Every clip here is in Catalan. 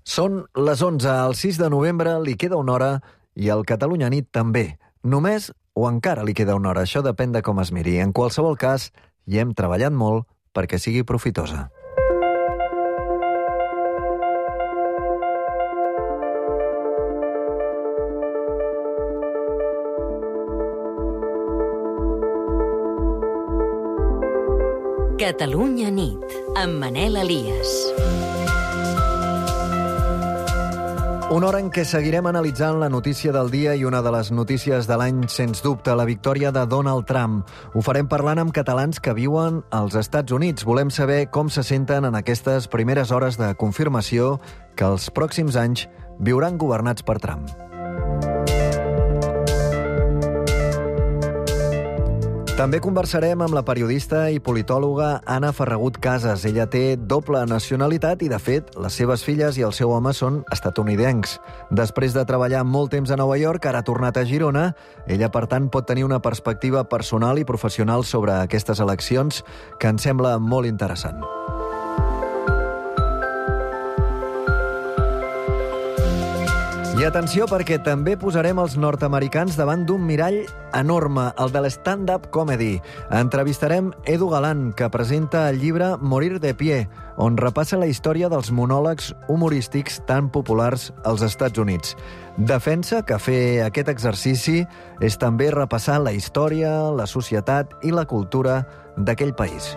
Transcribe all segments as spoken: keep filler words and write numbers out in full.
Són les onze, el sis de novembre, li queda una hora i el Catalunya Nit també. Només o encara li queda una hora, això depèn de com es miri. En qualsevol cas, hi hem treballat molt perquè sigui profitosa. Catalunya Nit, amb Manel Elias. Una hora en què seguirem analitzant la notícia del dia i una de les notícies de l'any, sens dubte, la victòria de Donald Trump. Ho farem parlant amb catalans que viuen als Estats Units. Volem saber com se senten en aquestes primeres hores de confirmació que els pròxims anys viuran governats per Trump. També conversarem amb la periodista i politòloga Anna Ferragut Casas. Ella té doble nacionalitat i, de fet, les seves filles i el seu home són estatunidencs. Després de treballar molt temps a Nova York, ara ha tornat a Girona. Ella, per tant, pot tenir una perspectiva personal i professional sobre aquestes eleccions que ens sembla molt interessant. I atenció, perquè també posarem els nord-americans davant d'un mirall enorme, el de l'stand-up comedy. Entrevistarem Edu Galán, que presenta el llibre Morir de pie, on repassa la història dels monòlegs humorístics tan populars als Estats Units. Defensa que fer aquest exercici és també repassar la història, la societat i la cultura d'aquell país.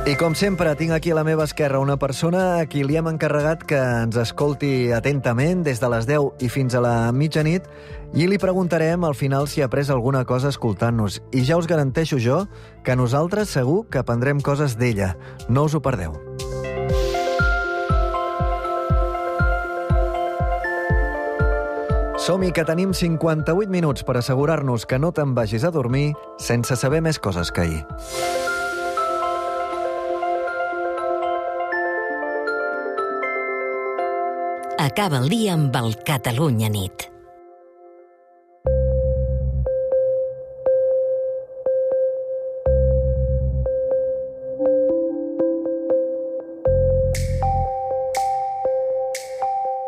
I com sempre, tinc aquí a la meva esquerra una persona a qui li hem encarregat que ens escolti atentament des de les deu i fins a la mitjanit i li preguntarem al final si ha après alguna cosa escoltant-nos. I ja us garanteixo jo que nosaltres segur que aprendrem coses d'ella. No us ho perdeu. Som-hi, que tenim cinquanta-vuit minuts per assegurar-nos que no te'n vagis a dormir sense saber més coses que ahir. Acaba el dia amb el Catalunya Nit.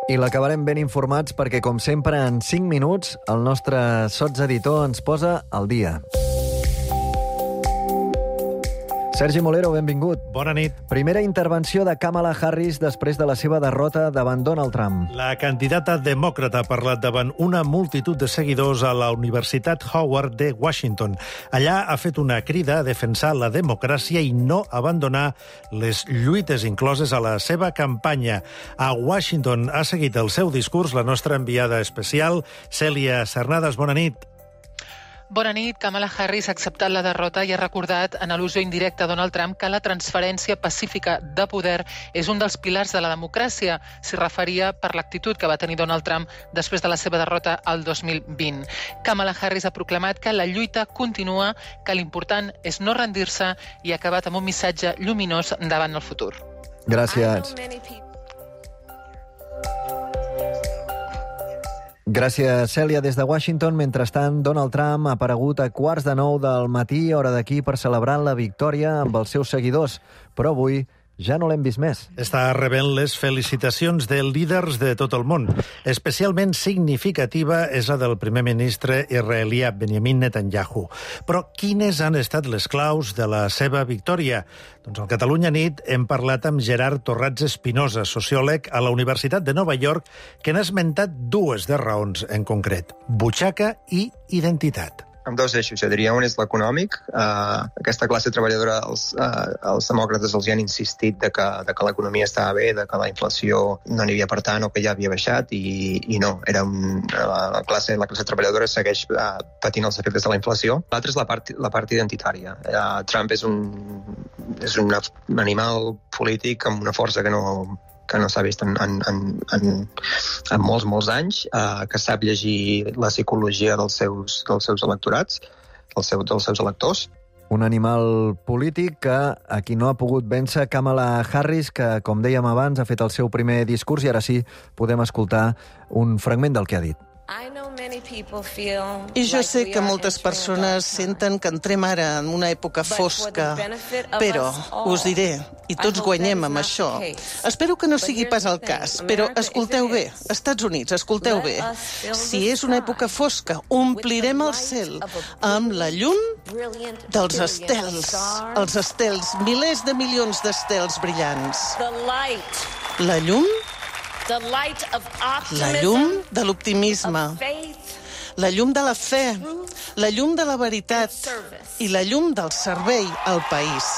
I l'acabarem ben informats perquè, com sempre, en cinc minuts el nostre sotseditor ens posa al dia. Sergi Molero, benvingut. Bona nit. Primera intervenció de Kamala Harris després de la seva derrota davant Donald Trump. La candidata demòcrata ha parlat davant una multitud de seguidors a la Universitat Howard de Washington. Allà ha fet una crida a defensar la democràcia i no abandonar les lluites incloses a la seva campanya. A Washington ha seguit el seu discurs la nostra enviada especial, Cèlia Cernadas. Bona nit. Bona nit. Kamala Harris ha acceptat la derrota i ha recordat en al·lusió indirecta a Donald Trump que la transferència pacífica de poder és un dels pilars de la democràcia. S'hi referia per l'actitud que va tenir Donald Trump després de la seva derrota al dos mil vint. Kamala Harris ha proclamat que la lluita continua, que l'important és no rendir-se i ha acabat amb un missatge lluminós davant el futur. Gràcies. Gràcies, Cèlia, des de Washington. Mentrestant, Donald Trump ha aparegut a quarts de nou del matí, hora d'aquí, per celebrar la victòria amb els seus seguidors. Però avui ja no l'hem vist més. Està rebent les felicitacions de líders de tot el món. Especialment significativa és la del primer ministre israelià Benjamin Netanyahu. Però quines han estat les claus de la seva victòria? Doncs al Catalunya Nit hem parlat amb Gerard Torrats Espinosa, sociòleg a la Universitat de Nova York, que n'ha esmentat dues de raons en concret: butxaca i identitat. Amb dos eixos, jo diria. Un és l'econòmic. Uh, aquesta classe treballadora, els, uh, els demòcrates els hi han insistit de que, de que l'economia estava bé, de que la inflació no n'hi havia per tant o que ja havia baixat, i, i no. Era un, la, classe, la classe treballadora segueix uh, patint els efectes de la inflació. L'altre és la part, la part identitària. Uh, Trump és un, és un animal polític amb una força que no... que no s'ha vist en, en, en, en, en molts, molts anys, eh, que sap llegir la psicologia dels seus, dels seus electorats, dels, seu, dels seus electors. Un animal polític que a qui no ha pogut vèncer Kamala Harris, que, com dèiem abans, ha fet el seu primer discurs i ara sí podem escoltar un fragment del que ha dit. I jo sé que moltes persones senten que entrem ara en una època fosca, però us diré, i tots guanyem amb això. Espero que no sigui pas el cas, però escolteu bé, Estats Units, escolteu bé. Si és una època fosca, omplirem el cel amb la llum dels estels, els estels, milers de milions d'estels brillants. La llum, la llum de l'optimisme, la llum de la fe, la llum de la veritat i la llum del servei al país.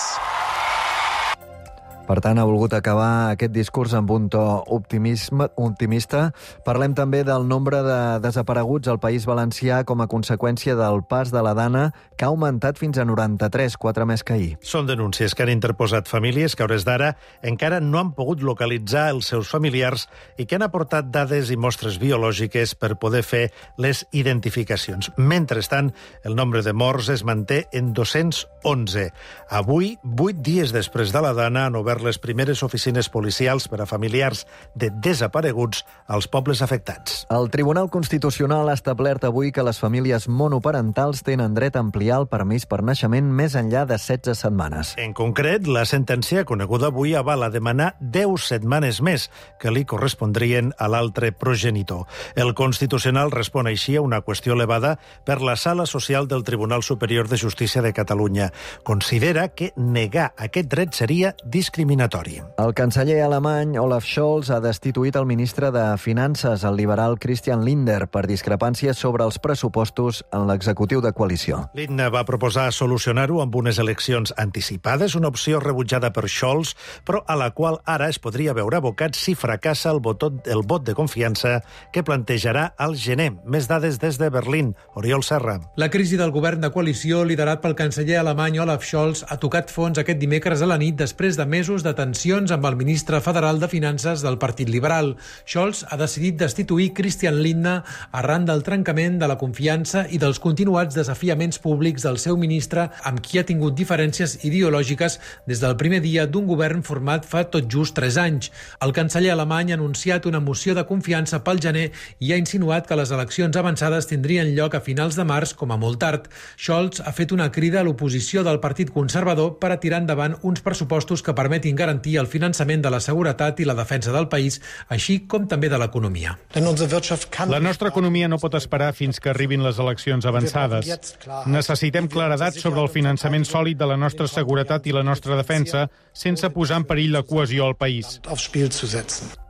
Per tant, ha volgut acabar aquest discurs amb un to optimisme, optimista. Parlem també del nombre de desapareguts al País Valencià com a conseqüència del pas de la Dana, que ha augmentat fins a noranta-tres, quatre més que ahir. Són denúncies que han interposat famílies que, a hores d'ara, encara no han pogut localitzar els seus familiars i que han aportat dades i mostres biològiques per poder fer les identificacions. Mentrestant, el nombre de morts es manté en dos-cents onze. Avui, vuit dies després de la Dana, han obert les primeres oficines policials per a familiars de desapareguts als pobles afectats. El Tribunal Constitucional ha establert avui que les famílies monoparentals tenen dret a ampliar el permís per naixement més enllà de setze setmanes. En concret, la sentència coneguda avui avala demanar deu setmanes més que li correspondrien a l'altre progenitor. El Constitucional respon així a una qüestió elevada per la Sala Social del Tribunal Superior de Justícia de Catalunya. Considera que negar aquest dret seria discriminatori. El canceller alemany Olaf Scholz ha destituït el ministre de Finances, el liberal Christian Lindner, per discrepàncies sobre els pressupostos en l'executiu de coalició. Lindner va proposar solucionar-ho amb unes eleccions anticipades, una opció rebutjada per Scholz, però a la qual ara es podria veure abocat si fracassa el, vot, el vot de confiança que plantejarà al gener. Més dades des de Berlín. Oriol Serra. La crisi del govern de coalició, liderat pel canceller alemany Olaf Scholz, ha tocat fons aquest dimecres a la nit després de mesos de tensions amb el ministre federal de Finances del Partit Liberal. Scholz ha decidit destituir Christian Lindner arran del trencament de la confiança i dels continuats desafiaments públics del seu ministre, amb qui ha tingut diferències ideològiques des del primer dia d'un govern format fa tot just tres anys. El canceller alemany ha anunciat una moció de confiança pel gener i ha insinuat que les eleccions avançades tindrien lloc a finals de març com a molt tard. Scholz ha fet una crida a l'oposició del Partit Conservador per a tirar endavant uns pressupostos que permetin garantir el finançament de la seguretat i la defensa del país, així com també de l'economia. La nostra economia no pot esperar fins que arribin les eleccions avançades. Necessitem claredat sobre el finançament sòlid de la nostra seguretat i la nostra defensa, sense posar en perill la cohesió al país.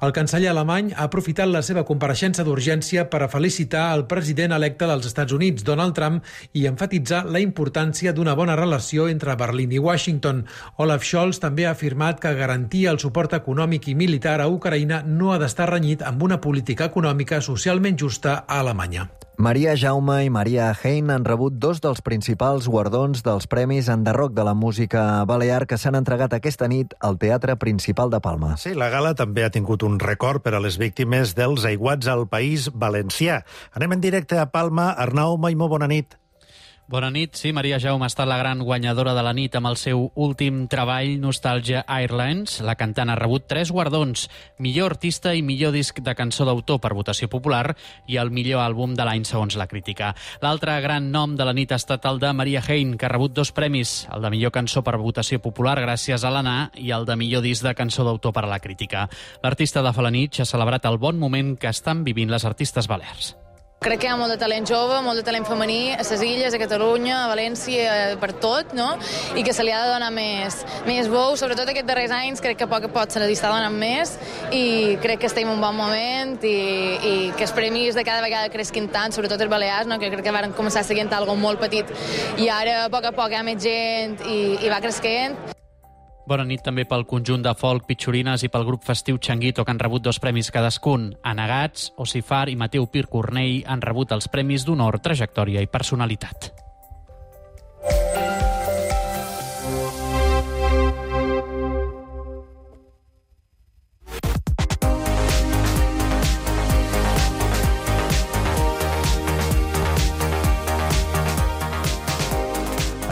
El canceller alemany ha aprofitat la seva compareixença d'urgència per a felicitar el president electe dels Estats Units, Donald Trump, i enfatitzar la importància d'una bona relació entre Berlín i Washington. Olaf Scholz també ha afirmat que garantir el suport econòmic i militar a Ucraïna no ha d'estar renyit amb una política econòmica socialment justa a Alemanya. Maria Jaume i Maria Hein han rebut dos dels principals guardons dels Premis Enderroc de la música balear que s'han entregat aquesta nit al Teatre Principal de Palma. Sí, la gala també ha tingut un record per a les víctimes dels aiguats al País Valencià. Anem en directe a Palma. Arnau Maimó, bona nit. Bona nit. Sí, Maria Jaume ha estat la gran guanyadora de la nit amb el seu últim treball, Nostalgia Airlines. La cantant ha rebut tres guardons: millor artista i millor disc de cançó d'autor per votació popular i el millor àlbum de l'any segons la crítica. L'altre gran nom de la nit ha estat el de Maria Hein, que ha rebut dos premis, el de millor cançó per votació popular gràcies a l'Anà i el de millor disc de cançó d'autor per a la crítica. L'artista de Falanitx ha celebrat el bon moment que estan vivint les artistes balears. Crec que hi ha molt de talent jove, molt de talent femení a les Illes, a Catalunya, a València, per tot, no? I que se li ha de donar més, més bou, sobretot aquests darrers anys, crec que a poc a poc se li està donant més i crec que estem en un bon moment i, i que els premis de cada vegada cresquin tant, sobretot els balears, no? Que crec que van començar seguint algo molt petit i ara a poc a poc hi ha més gent i, i va cresquent. Bona nit també pel conjunt de folk Pitxorines i pel grup festiu Changuito, que han rebut dos premis cadascun. Anagats, Ocifar i Mateu Pir Cornell han rebut els premis d'honor, trajectòria i personalitat.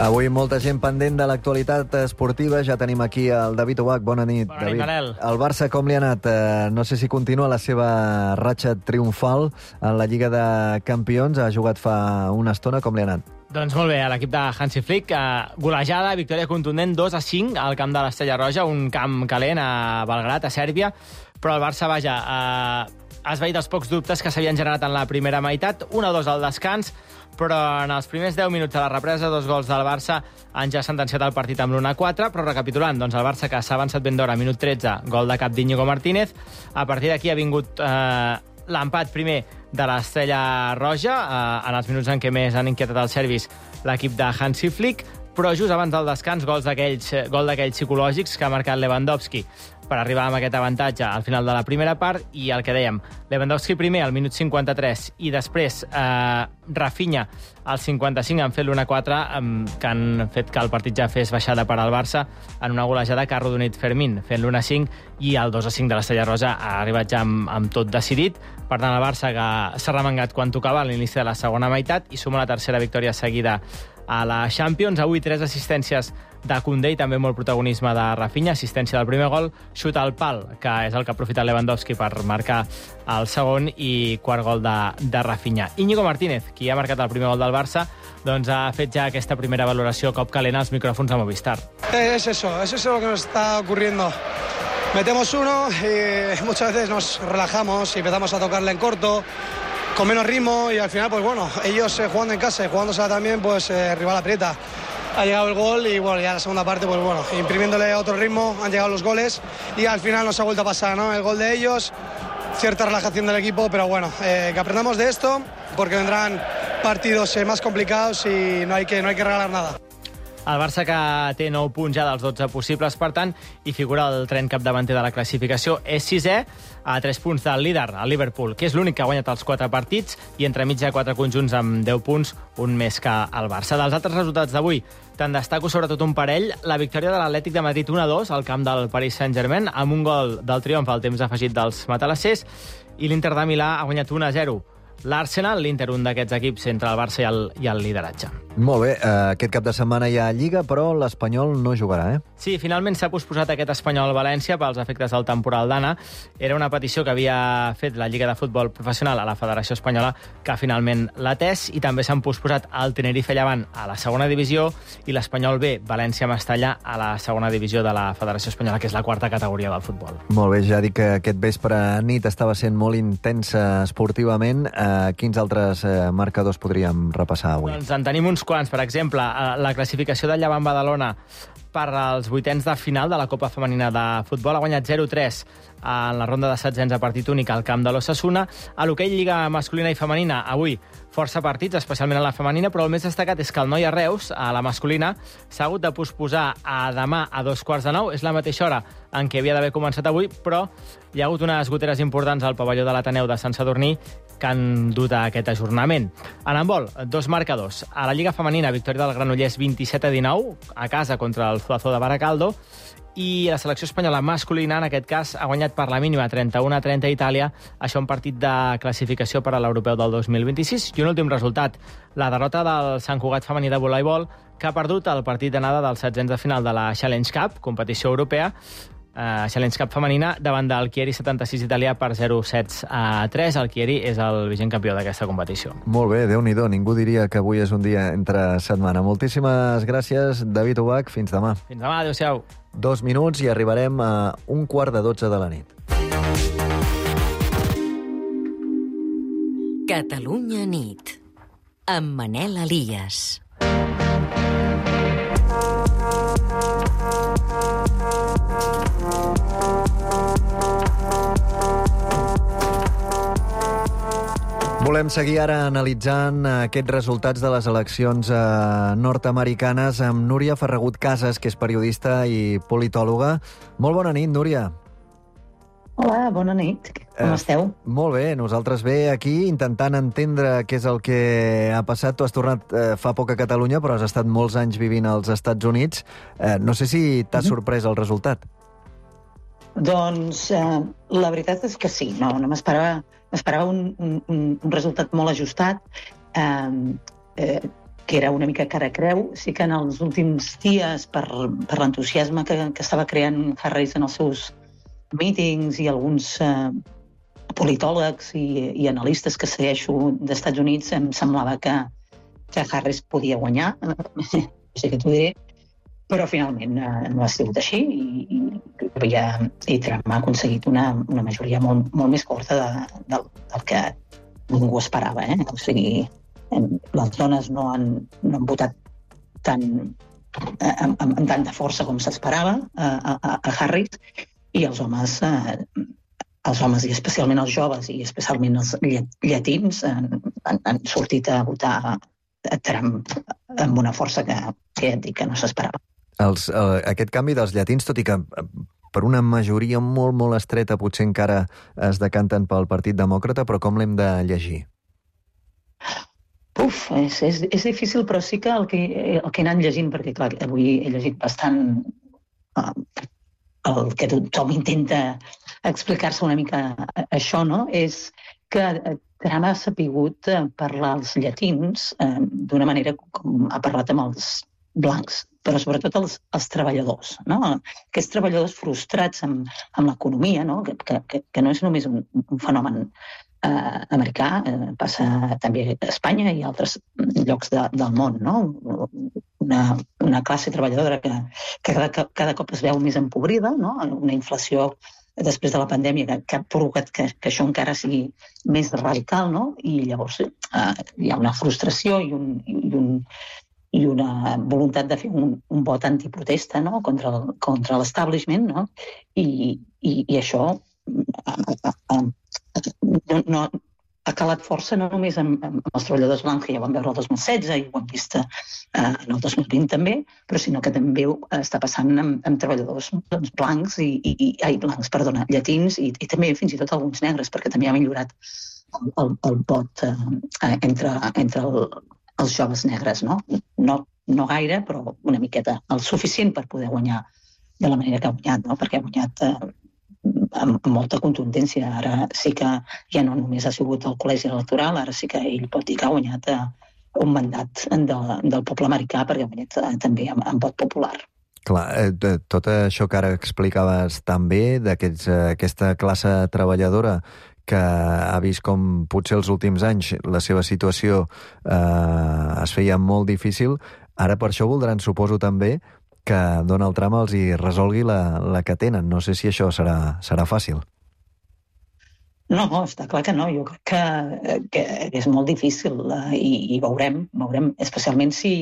Avui Avui molta gent pendent de l'actualitat esportiva. Ja tenim aquí el David Obac. Bona nit, Bona David. nit, Manel. El Barça com li ha anat? Eh, no sé si continua la seva ratxa triomfal en la Lliga de Campions. Ha jugat fa una estona. Com li ha anat? Doncs molt bé, a l'equip de Hansi Flick, eh, golejada, victòria contundent, dos a cinc al camp de l'Estrella Roja, un camp calent a Belgrat, a Sèrbia, però el Barça, vaja, eh, ha esvaït els pocs dubtes que s'havien generat en la primera meitat, un a dos al descans, però en els primers deu minuts de la represa, dos gols del Barça han ja sentenciat el partit amb l'u a quatre, però recapitulant, doncs el Barça que s'ha avançat ben d'hora, minut tretze, gol de cap d'Íñigo Martínez, a partir d'aquí ha vingut eh, l'empat primer de l'Estrella Roja, eh, en els minuts en què més han inquietat els serbis l'equip de Hansi Flick, però just abans del descans, gols d'aquells gol d'aquells psicològics que ha marcat Lewandowski per arribar amb aquest avantatge al final de la primera part, i el que dèiem, Lewandowski primer al minut cinquanta-tres i després eh, Rafinha al cinquanta-cinc han fet l'u a quatre, eh, que han fet que el partit ja fes baixada per al Barça en una golejada que ha arrodonit Fermín, fent l'u a cinc, i el dos a cinc de l'Estrella Roja ha arribat ja amb, amb tot decidit. Per tant, el Barça que s'ha remengat quan tocava a l'inici de la segona meitat i suma la tercera victòria seguida a la Champions. Avui tres assistències de Koundé i també molt protagonisme de Rafinha, assistència del primer gol, xut al pal, que és el que ha aprofitat Lewandowski per marcar el segon, i quart gol de, de Rafinha. Íñigo Martínez, qui ha marcat el primer gol del Barça, doncs ha fet ja aquesta primera valoració cop calent als micròfons de Movistar. Es eso, es eso lo que nos está ocurriendo. Metemos uno y muchas veces nos relajamos y empezamos a tocarle en corto, con menos ritmo, y al final, pues bueno, ellos eh, jugando en casa y jugándosela también, pues eh, rival aprieta. Ha llegado el gol y bueno, ya en la segunda parte, pues bueno, imprimiéndole otro ritmo, han llegado los goles y al final nos ha vuelto a pasar, ¿no? El gol de ellos, cierta relajación del equipo, pero bueno, eh, que aprendamos de esto porque vendrán partidos eh, más complicados y no hay que, no hay que regalar nada. El Barça, que té nou punts ja dels dotze possibles, per tant, i figura el tren capdavanter de la classificació, és sisè a tres punts del líder, el Liverpool, que és l'únic que ha guanyat els quatre partits, i entremig hi ha quatre conjunts amb deu punts, un més que el Barça. Dels altres resultats d'avui, te'n destaco sobretot un parell, la victòria de l'Atlètic de Madrid un a dos al camp del Paris Saint-Germain, amb un gol del triomf al temps afegit dels matalassers, i l'Inter de Milà ha guanyat un a zero. L'Arsenal, l'Inter, un d'aquests equips entre el Barça i el, i el lideratge. Molt bé, eh, aquest cap de setmana hi ha Lliga, però l'Espanyol no jugarà, eh? Sí, finalment s'ha posposat aquest Espanyol-València pels efectes del temporal d'Anna. Era una petició que havia fet la Lliga de Futbol Professional a la Federació Espanyola, que finalment l'ha atès, i també s'han posposat el Tenerife-Llevant a la segona divisió i l'Espanyol B, València-Mestalla, a la segona divisió de la Federació Espanyola, que és la quarta categoria del futbol. Molt bé, ja dic que aquest vespre nit estava sent molt intensa esportivament. Eh, quins altres eh, marcadors podríem repassar avui? Doncs en tenim uns quants. Per exemple, la classificació del Llevant Badalona per als vuitens de final de la Copa Femenina de Futbol ha guanyat zero a tres en la ronda de setzents a partit únic al camp de l'Ossassuna. A l'hoquei Lliga masculina i femenina, avui força partits, especialment a la femenina, però el més destacat és que el Noia Reus, a la masculina, s'ha hagut de posposar a demà a dos quarts de nou. És la mateixa hora en què havia d'haver començat avui, però hi ha hagut unes goteres importants al pavelló de l'Ateneu de Sant Sadurní que han dut a aquest ajornament. En handbol, dos marcadors. A la Lliga femenina, victòria del Granollers vint-i-set a dinou, a casa contra el Zuazo de Baracaldo, i la selecció espanyola masculina, en aquest cas, ha guanyat per la mínima trenta-u a trenta a Itàlia, això un partit de classificació per a l'Europeu del dos mil vint-i-sis. I un últim resultat, la derrota del Sant Cugat femení de voleibol, que ha perdut el partit d'anada dels setzents de final de la Challenge Cup, competició europea, Uh, Challenge Cup femenina, davant del Chieri setanta-sis italià per zero sets a tres. El Chieri és el vigent campió d'aquesta competició. Molt bé, Déu-n'hi-do. Ningú diria que avui és un dia entre setmana. Moltíssimes gràcies, David Obac. Fins demà. Fins demà, adéu-siau. Dos minuts i arribarem a un quart de dotze de la nit. Catalunya nit, amb Manel Elias. Volem seguir ara analitzant aquests resultats de les eleccions eh, nord-americanes amb Núria Ferragut Casas, que és periodista i politòloga. Molt bona nit, Núria. Hola, bona nit. Com eh, esteu? Molt bé, nosaltres bé aquí intentant entendre què és el que ha passat. Tu has tornat eh, fa poc a Catalunya, però has estat molts anys vivint als Estats Units. Eh, no sé si t'ha uh-huh. sorprès el resultat. Doncs eh, la veritat és que sí. No, no m'esperava... M'esperava un, un, un resultat molt ajustat. Eh, eh, que era una mica cara a creu. Sí que en els últims dies, per, per l'entusiasme que, que estava creant Harris en els seus mítings i alguns eh, politòlegs i, i analistes que segueixo d'Estats Units, em semblava que, que Harris podia guanyar, sé que t'ho diré, però finalment eh, no ha sigut així i, i, i Trump ha aconseguit una, una majoria molt, molt més curta de, de, del que ningú esperava. Eh? O sigui, les dones no han, no han votat tan, amb, amb tanta força com s'esperava a, a, a Harris, i els homes, eh, els homes i especialment els joves i especialment els llatins han, han, han sortit a votar a Trump amb una força que, que ja et dic que no s'esperava. Els, eh, aquest canvi dels llatins, tot i que per una majoria molt, molt estreta potser encara es decanten pel Partit Demòcrata, però com l'hem de llegir? Uf, és, és, és difícil, però sí que el que, el que he anat llegint, perquè clar, avui he llegit bastant uh, el que tothom intenta explicar-se una mica això, no? És que Trump ha sapigut parlar als llatins eh, d'una manera com ha parlat amb els blancs, però sobretot els, els treballadors, no? Aquests treballadors frustrats amb, amb l'economia, no? Que, que, que no és només un, un fenomen eh, americà, eh, passa també a Espanya i a altres llocs de, del món, no? Una, una classe treballadora que, que cada, cada cop es veu més empobrida, no? Una inflació després de la pandèmia que, que ha provocat que, que això encara sigui més radical, no? I llavors eh, hi ha una frustració i un, i un i una voluntat de fer un, un vot antiprotesta, no? contra, contra l'establishment, no? I, i, i això a, a, a, no, no, ha calat força no només amb, amb els treballadors blancs, que ja ho vam veure el dos mil setze i ho hem vist eh, en el dos mil vint també, però sinó que també està passant amb, amb treballadors doncs, blancs i, i, ai, blancs, perdona, llatins i, i també fins i tot alguns negres, perquè també ha millorat el, el, el vot eh, entre, entre el els joves negres, no? No, no gaire, però una miqueta, el suficient per poder guanyar de la manera que ha guanyat, no? Perquè ha guanyat eh, amb, amb molta contundència. Ara sí que ja no només ha sigut el col·legi electoral, ara sí que ell pot dir que ha guanyat eh, un mandat de, del poble americà, perquè ha guanyat eh, també amb, amb vot popular. Clar, eh, tot això que ara explicaves també, d'aquesta classe treballadora que ha vist com potser els últims anys la seva situació eh, es feia molt difícil, ara per això voldran, suposo també, que Donald Trump els hi resolgui la, la que tenen. No sé si això serà, serà fàcil. No, està clar que no. Jo crec que, que és molt difícil eh, i, i veurem, veurem, especialment si,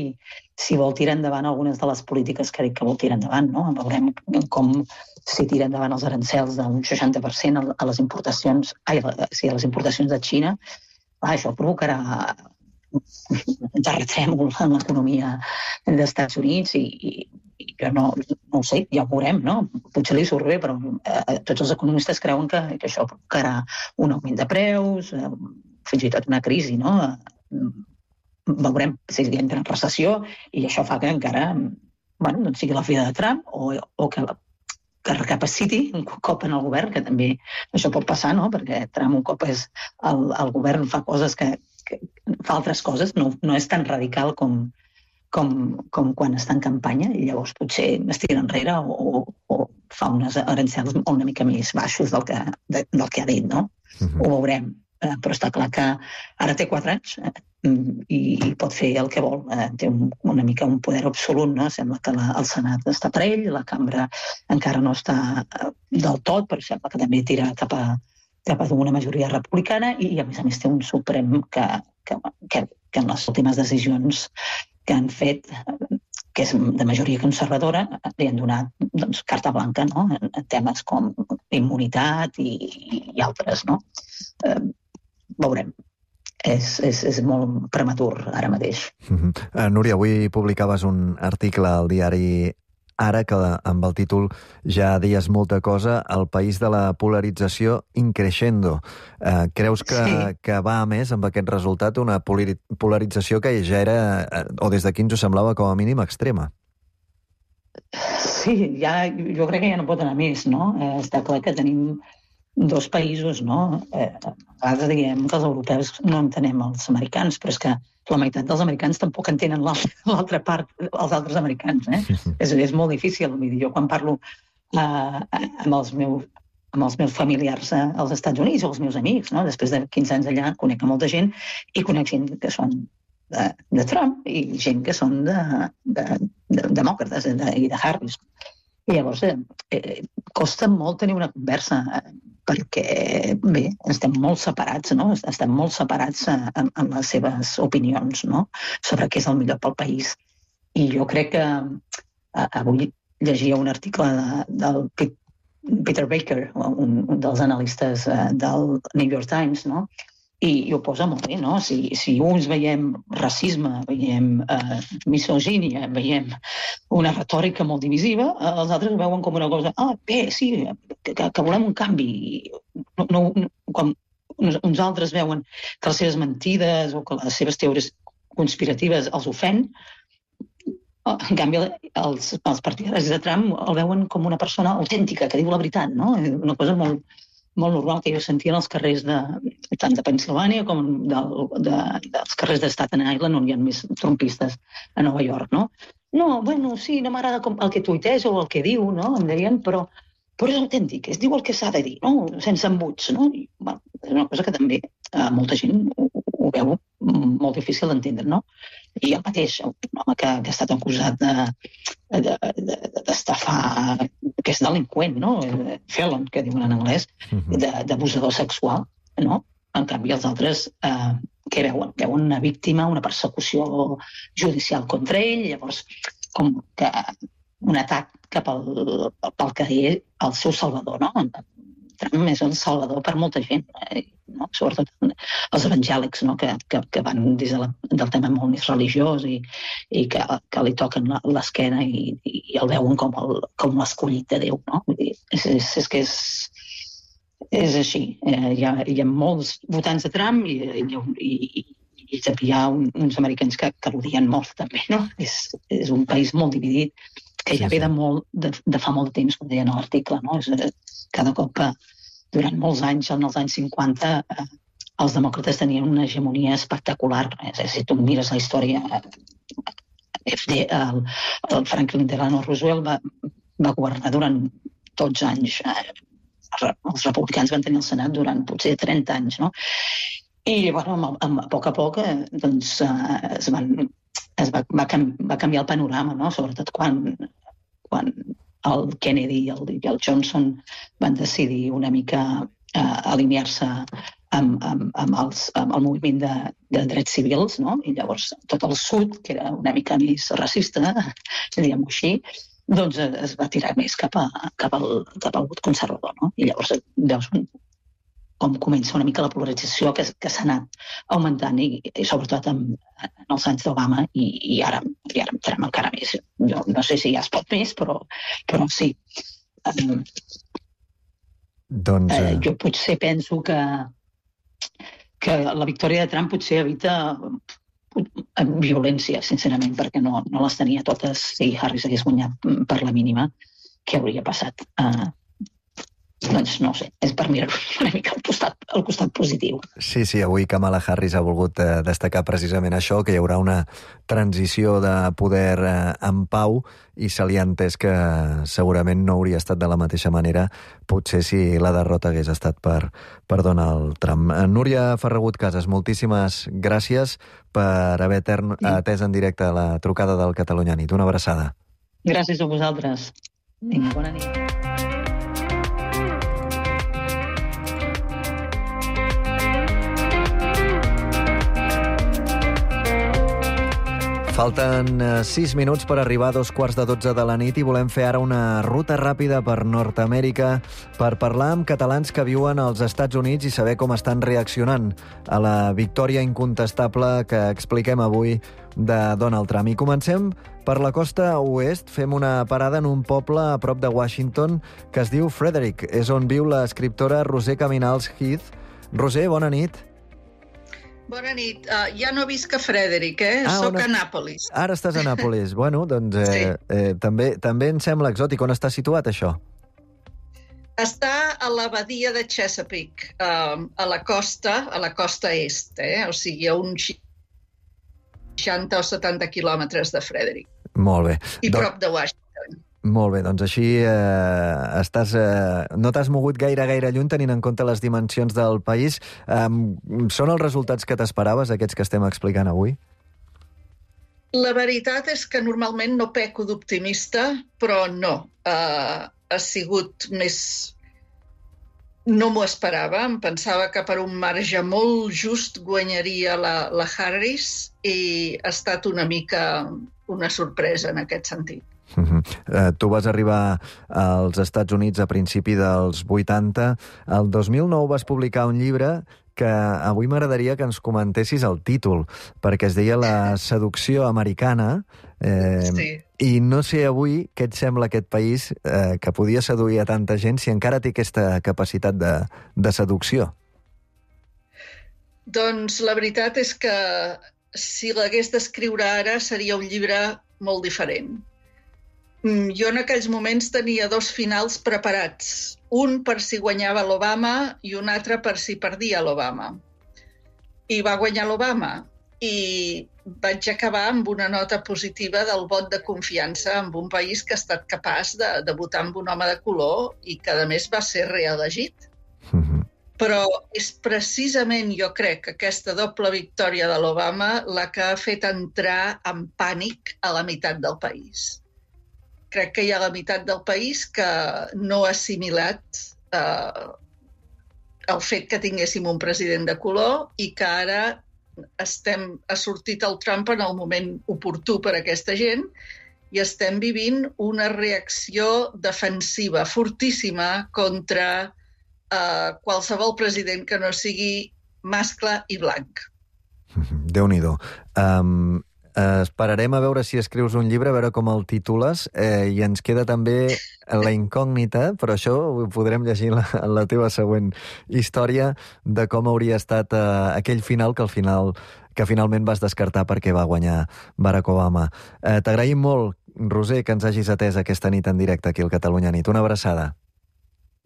si vol tirar endavant algunes de les polítiques que ha dit que vol tirar endavant, no? Veurem com si tira endavant els arancels d'un seixanta per cent a les importacions, ai, sí, a les importacions de Xina. Ah, això provocarà un terratrèmol en l'economia dels Estats Units i, i, i jo no, no ho sé, ja ho veurem, no? Potser li surt bé, però eh, tots els economistes creuen que, que això provocarà un augment de preus, eh, fins i tot una crisi, no? Eh, veurem si entra en recessió i això fa que encara bueno, doncs sigui la fi de Trump o, o que la que recapaciti un cop en el govern, que també això pot passar, no? Perquè Trump un cop és el, el govern fa coses que, que fa altres coses, no, no és tan radical com, com, com quan està en campanya i llavors potser es tira enrere o, o, o fa unes arancels una mica més baixos del que, de, del que ha dit, no? Uh-huh. Ho veurem, eh, però està clar que ara té quatre anys eh, i, i pot fer el que vol. Eh, té un, una mica un poder absolut, no? Sembla que la, el Senat està per ell, la cambra encara no està eh, del tot, però sembla que també tira cap a, cap a una majoria republicana i, a més a més, té un Suprem que, que, que, que en les últimes decisions que han fet, que és de majoria conservadora, li han donat doncs, carta blanca, no? En, en temes com immunitat i, i altres, no? Eh, veurem. És, és, és molt prematur ara mateix. Uh-huh. Uh, Núria, avui publicaves un article al diari Ara que amb el títol ja deies molta cosa, el país de la polarització increixendo. Uh, creus que, sí. que va a més amb aquest resultat una polarització que ja era, o des d'aquí ens ho semblava com a mínim extrema? Sí, ja, jo crec que ja no pot anar més, no? Eh, està clar que tenim dos països, no? Eh, a vegades diguem que els europeus no entenem els americans, però és que la meitat dels americans tampoc entenen l'altra part, els altres americans, eh? és, és molt difícil. Jo quan parlo uh, amb, els meus, amb els meus familiars als Estats Units o els meus amics, no? Després de quinze anys allà conec a molta gent i conec gent que són de, de Trump i gent que són de, de, de demòcrates i de, de Harris. I llavors eh, costa molt tenir una conversa eh, perquè, bé, estem molt separats, no? Estem molt separats en, en les seves opinions, no? Sobre què és el millor pel país. I jo crec que eh, avui llegia un article de, del Peter Baker, un, un dels analistes eh, del New York Times, no? I, i ho posa molt bé, no? Si, si uns veiem racisme, veiem eh, misogínia, veiem una retòrica molt divisiva, eh, els altres ho veuen com una cosa, ah, bé, sí, que, que volem un canvi. No, no, quan uns altres veuen que les seves mentides o que les seves teories conspiratives els ofèn, en canvi, els, els partidaris de Trump el veuen com una persona autèntica, que diu la veritat, no? Una cosa molt molt normal que jo sentia en els carrers de, tant de Pensilvània com del, de, dels carrers de Staten Island, on hi ha més trumpistes a Nova York, no? No, bueno, sí, no m'agrada el que tuiteja o el que diu, no? Em deien, però, però és autèntic, es diu el que s'ha de dir, no? Sense embuts, no? I, bueno, és una cosa que també eh, molta gent ho, ho veu molt difícil d'entendre, no? I el mateix, un home que, que ha estat acusat d'estafar, de, de, de, que és delinqüent, no? Felon, que diuen en anglès, d'abusador sexual, no? En canvi, els altres, eh, què veuen? Veuen una víctima, una persecució judicial contra ell, llavors, com que un atac cap al, pel que és el seu salvador, no? Trump és el salvador per molta gent, eh? No? Sobretot els evangèlics, no? que, que, que van des de la, del tema molt més religiós i, i que, que li toquen l'esquena i, i el veuen com el, com l'escollit de Déu. No? Vull dir, és, és, és que és, és així. Eh, hi, ha, hi ha molts votants de Trump i, i, i, i hi ha un, uns americans que, que l'odien molt també. No? És, és un país molt dividit que ja ve de, molt, de, de fa molt de temps, com deien a l'article. No? És, cada cop que durant molts anys, en els anys cinquanta, eh, els demòcrates tenien una hegemonia espectacular. És a dir, si tu mires la història, eh, el, el Franklin Delano Roosevelt va, va governar durant dotze anys. Eh, els republicans van tenir el Senat durant potser trenta anys, no? I bueno, a, a, a poc a poc eh, doncs, eh, es, van, es va, va, canvi, va canviar el panorama, no? Sobretot quan, quan el Kennedy i el, i el Johnson van decidir una mica eh, alinear-se amb, amb, amb, els, amb el moviment de, de drets civils, no? I llavors tot el sud, que era una mica més racista, diguem-ho així, doncs es va tirar més cap, a, cap, al, cap al vot conservador, no? I llavors veus com comença una mica la polarització que, que s'ha anat augmentant i, i sobretot en, en els anys d'Obama i, i ara i ara entrem encara més. Jo no sé si ja es pot més, però, però sí. Um, doncs, eh, jo potser penso que, que la victòria de Trump potser evita violència, sincerament, perquè no, no les tenia totes. Si Harris hagués guanyat per la mínima, què hauria passat? Uh, Doncs no sé, és per mirar una mica al costat, al costat positiu. Sí, sí, avui Kamala Harris ha volgut eh, destacar precisament això, que hi haurà una transició de poder eh, en pau i se li ha entès que segurament no hauria estat de la mateixa manera potser si la derrota hagués estat per, per Donald Trump. Núria Ferragut Casas, moltíssimes gràcies per haver tern, sí. atès en directe la trucada del Catalunya Nit. Una abraçada. Gràcies a vosaltres. Vinga, bona nit. Falten sis minuts per arribar a dos quarts de dotze de la nit i volem fer ara una ruta ràpida per Nord-Amèrica per parlar amb catalans que viuen als Estats Units i saber com estan reaccionant a la victòria incontestable que expliquem avui de Donald Trump. I comencem per la costa oest, fem una parada en un poble a prop de Washington que es diu Frederick. És on viu l'escriptora Roser Caminals Heath. Roser, bona nit. Bona nit. Uh, ja no visc a Frederick, eh? Ah, Soc a Nàpolis. Ara estàs a Nàpolis. Bueno, doncs eh, sí. eh, també, també em sembla exòtic. On està situat, això? Està a la badia de Chesapeake, uh, a la costa, a la costa est, eh? O sigui, a un seixanta o setanta quilòmetres de Frederick. Molt bé. I prop de Washington. Molt bé, doncs així eh, estàs, eh, no t'has mogut gaire, gaire lluny tenint en compte les dimensions del país. Eh, són els resultats que t'esperaves, aquests que estem explicant avui? La veritat és que normalment no peco d'optimista, però no. Uh, ha sigut més... No m'ho esperava. Em pensava que per un marge molt just guanyaria la, la Harris i ha estat una mica una sorpresa en aquest sentit. Uh-huh. Uh, tu vas arribar als Estats Units a principi dels vuitanta. El dos mil nou vas publicar un llibre que avui m'agradaria que ens comentessis el títol, perquè es deia La seducció americana, eh, sí. I no sé avui què et sembla aquest país eh, que podia seduir a tanta gent si encara té aquesta capacitat de, de seducció. Doncs la veritat és que si l'hagués d'escriure ara seria un llibre molt diferent. Jo en aquells moments tenia dos finals preparats, un per si guanyava l'Obama i un altre per si perdia l'Obama. I va guanyar l'Obama i vaig acabar amb una nota positiva del vot de confiança en un país que ha estat capaç de, de votar amb un home de color i que, a més, va ser reelegit. Mm-hmm. Però és precisament, jo crec, aquesta doble victòria de l'Obama la que ha fet entrar en pànic a la meitat del país. Crec que hi ha la meitat del país que no ha assimilat eh, el fet que tinguéssim un president de color i que ara estem, ha sortit el Trump en el moment oportú per a aquesta gent i estem vivint una reacció defensiva fortíssima contra eh, qualsevol president que no sigui mascle i blanc. Déu-n'hi-do. Um... Uh, esperarem a veure si escrius un llibre, a veure com el titules, eh, i ens queda també la incògnita, però això ho podrem llegir en la, en la teva següent història, de com hauria estat eh, aquell final que al final que finalment vas descartar perquè va guanyar Barack Obama. Eh, T'agraïm molt, Roser, que ens hagis atès aquesta nit en directe aquí al Catalunya Nit. Una abraçada.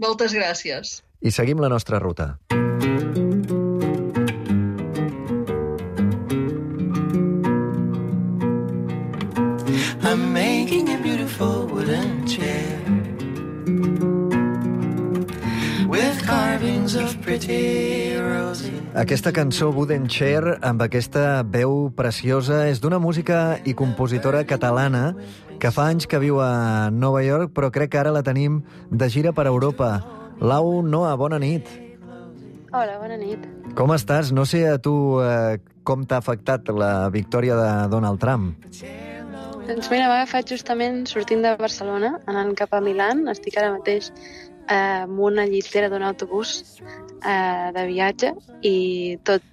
Moltes gràcies. I seguim la nostra ruta. I'm making a beautiful wooden chair with carvings of pretty roses. Aquesta cançó, Wooden Chair, amb aquesta veu preciosa, és d'una música i compositora catalana que fa anys que viu a Nova York, però crec que ara la tenim de gira per Europa. Lau Noa, bona nit. Hola, bona nit. Com estàs? No sé a tu eh, com t'ha afectat la victòria de Donald Trump. Doncs mira, m'ha agafat justament sortint de Barcelona, anant cap a Milà. Estic ara mateix eh, amb una llitera d'un autobús eh, de viatge i tot,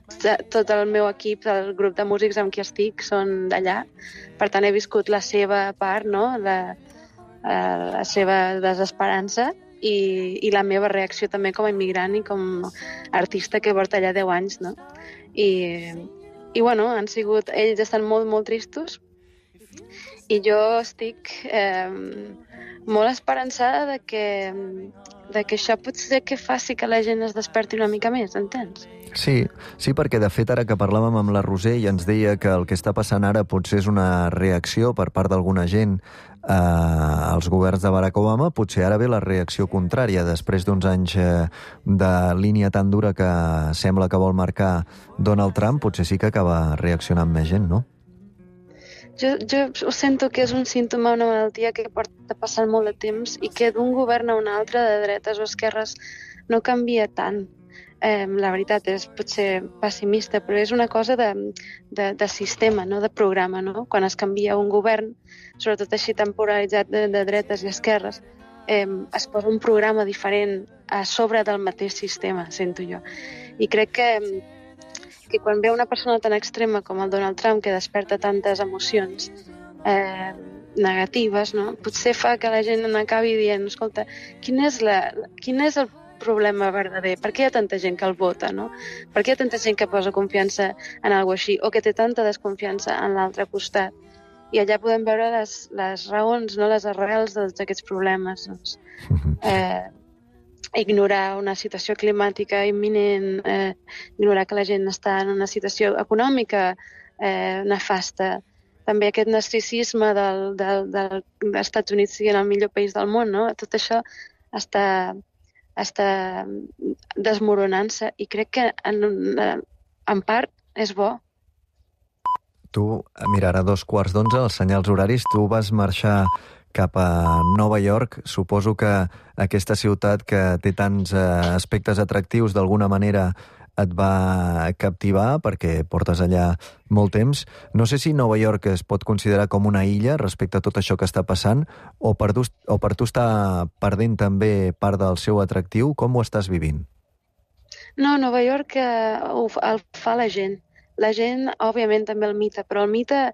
tot el meu equip, el grup de músics amb qui estic, són d'allà. Per tant, he viscut la seva part, no? la, eh, la seva desesperança i, i la meva reacció també com a immigrant i com a artista que porta allà deu anys. No? I, i bueno, han sigut, ells estan molt, molt tristos, i jo estic eh, molt esperançada de que, de que això potser que faci que la gent es desperti una mica més, entens? Sí, sí, perquè de fet ara que parlàvem amb la Roser i ens deia que el que està passant ara potser és una reacció per part d'alguna gent eh, als governs de Barack Obama, potser ara ve la reacció contrària, després d'uns anys eh, de línia tan dura que sembla que vol marcar Donald Trump, potser sí que acaba reaccionant més gent, no? Jo, jo sento que és un símptoma d'una malaltia que porta passant molt de temps i que d'un govern a un altre, de dretes o esquerres, no canvia tant. Eh, la veritat és potser pessimista, però és una cosa de, de, de sistema, no? De programa. No? Quan es canvia un govern, sobretot així temporalitzat de, de dretes i esquerres, eh, es posa un programa diferent a sobre del mateix sistema, sento jo. I crec que que quan ve una persona tan extrema com el Donald Trump, que desperta tantes emocions eh, negatives, no? Potser fa que la gent acabi dient, escolta, quin és, la, quin és el problema verdader? Per què hi ha tanta gent que el vota? No? Per què hi ha tanta gent que posa confiança en alguna cosa així o que té tanta desconfiança en l'altre costat? I allà podem veure les, les raons, no? Les arrels d'aquests problemes. Doncs. Eh, ignorar una situació climàtica imminent, eh, ignorar que la gent està en una situació econòmica eh, nefasta. També aquest narcisisme del, del, del, dels Estats Units siguin el millor país del món, no? Tot això està, està desmoronant-se i crec que en, en part és bo. Tu, mira, ara dos quarts d'onze, els senyals horaris, tu vas marxar cap a Nova York. Suposo que aquesta ciutat que té tants eh, aspectes atractius d'alguna manera et va captivar perquè portes allà molt temps. No sé si Nova York es pot considerar com una illa respecte a tot això que està passant o per tu, o per tu està perdent també part del seu atractiu. Com ho estàs vivint? No, Nova York eh, ho, el fa la gent. La gent, òbviament, també el mite, però el mite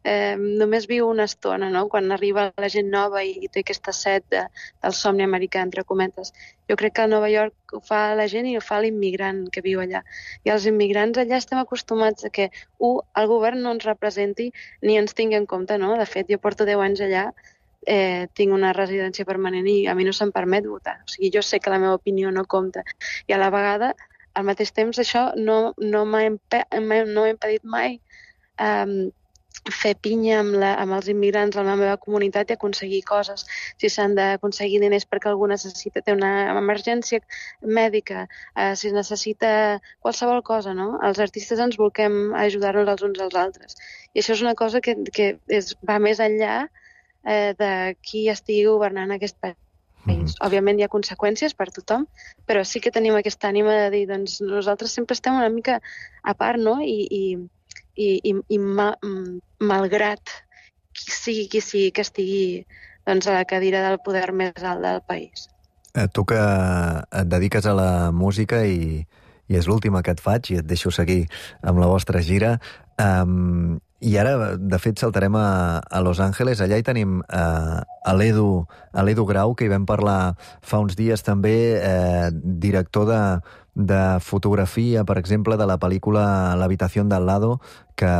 eh, només viu una estona, no? Quan arriba la gent nova i té aquesta set de, del somni americà, entre cometes. Jo crec que a Nova York ho fa la gent i ho fa l'immigrant que viu allà. I els immigrants allà estem acostumats a que, un, el govern no ens representi ni ens tingui en compte, no? De fet, jo porto deu anys allà, eh, tinc una residència permanent i a mi no se'm permet votar. O sigui, jo sé que la meva opinió no compta. I a la vegada, al mateix temps, això no, no m'ha impe no impedit mai um, fer pinya amb, la, amb els immigrants de la meva comunitat i aconseguir coses. Si s'han d'aconseguir diners perquè algú necessita, té una emergència mèdica, eh, si es necessita qualsevol cosa, no? Els artistes ens volem ajudar-nos els uns als altres. I això és una cosa que, que és, va més enllà eh, de qui estigui governant aquest país. Mm-hmm. Òbviament hi ha conseqüències per tothom, però sí que tenim aquesta ànima de dir, doncs nosaltres sempre estem una mica a part, no? I, i, i, i, i ma, malgrat qui sigui qui sigui que estigui doncs, a la cadira del poder més alt del país. Eh, tu que et dediques a la música i, i és l'última que et faig i et deixo seguir amb la vostra gira. Um, I ara, de fet, saltarem a, a Los Angeles. Allà hi tenim eh, a l'Edu a l'Edu Grau, que hi vam parlar fa uns dies també, eh, director de, de fotografia, per exemple, de la pel·lícula L'habitació d'al lado, que,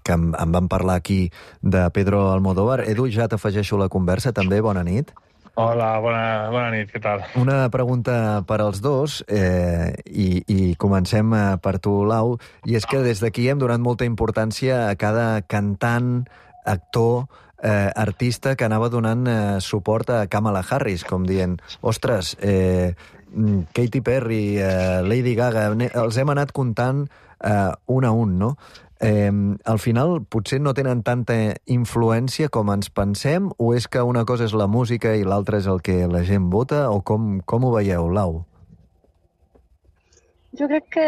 que em, em van parlar aquí de Pedro Almodóvar. Edu, ja t'afegeixo la conversa també. Bona nit. Hola, bona, bona nit, què tal? Una pregunta per als dos, eh, i, i comencem per tu, Lau, i és que des d'aquí hem donat molta importància a cada cantant, actor, eh, artista que anava donant eh, suport a Kamala Harris, com dient, ostres, eh, Katy Perry, eh, Lady Gaga, els hem anat comptant eh, un a un, no? Eh, al final potser no tenen tanta influència com ens pensem, o és que una cosa és la música i l'altra és el que la gent vota, o com, com ho veieu, Lau? Jo crec que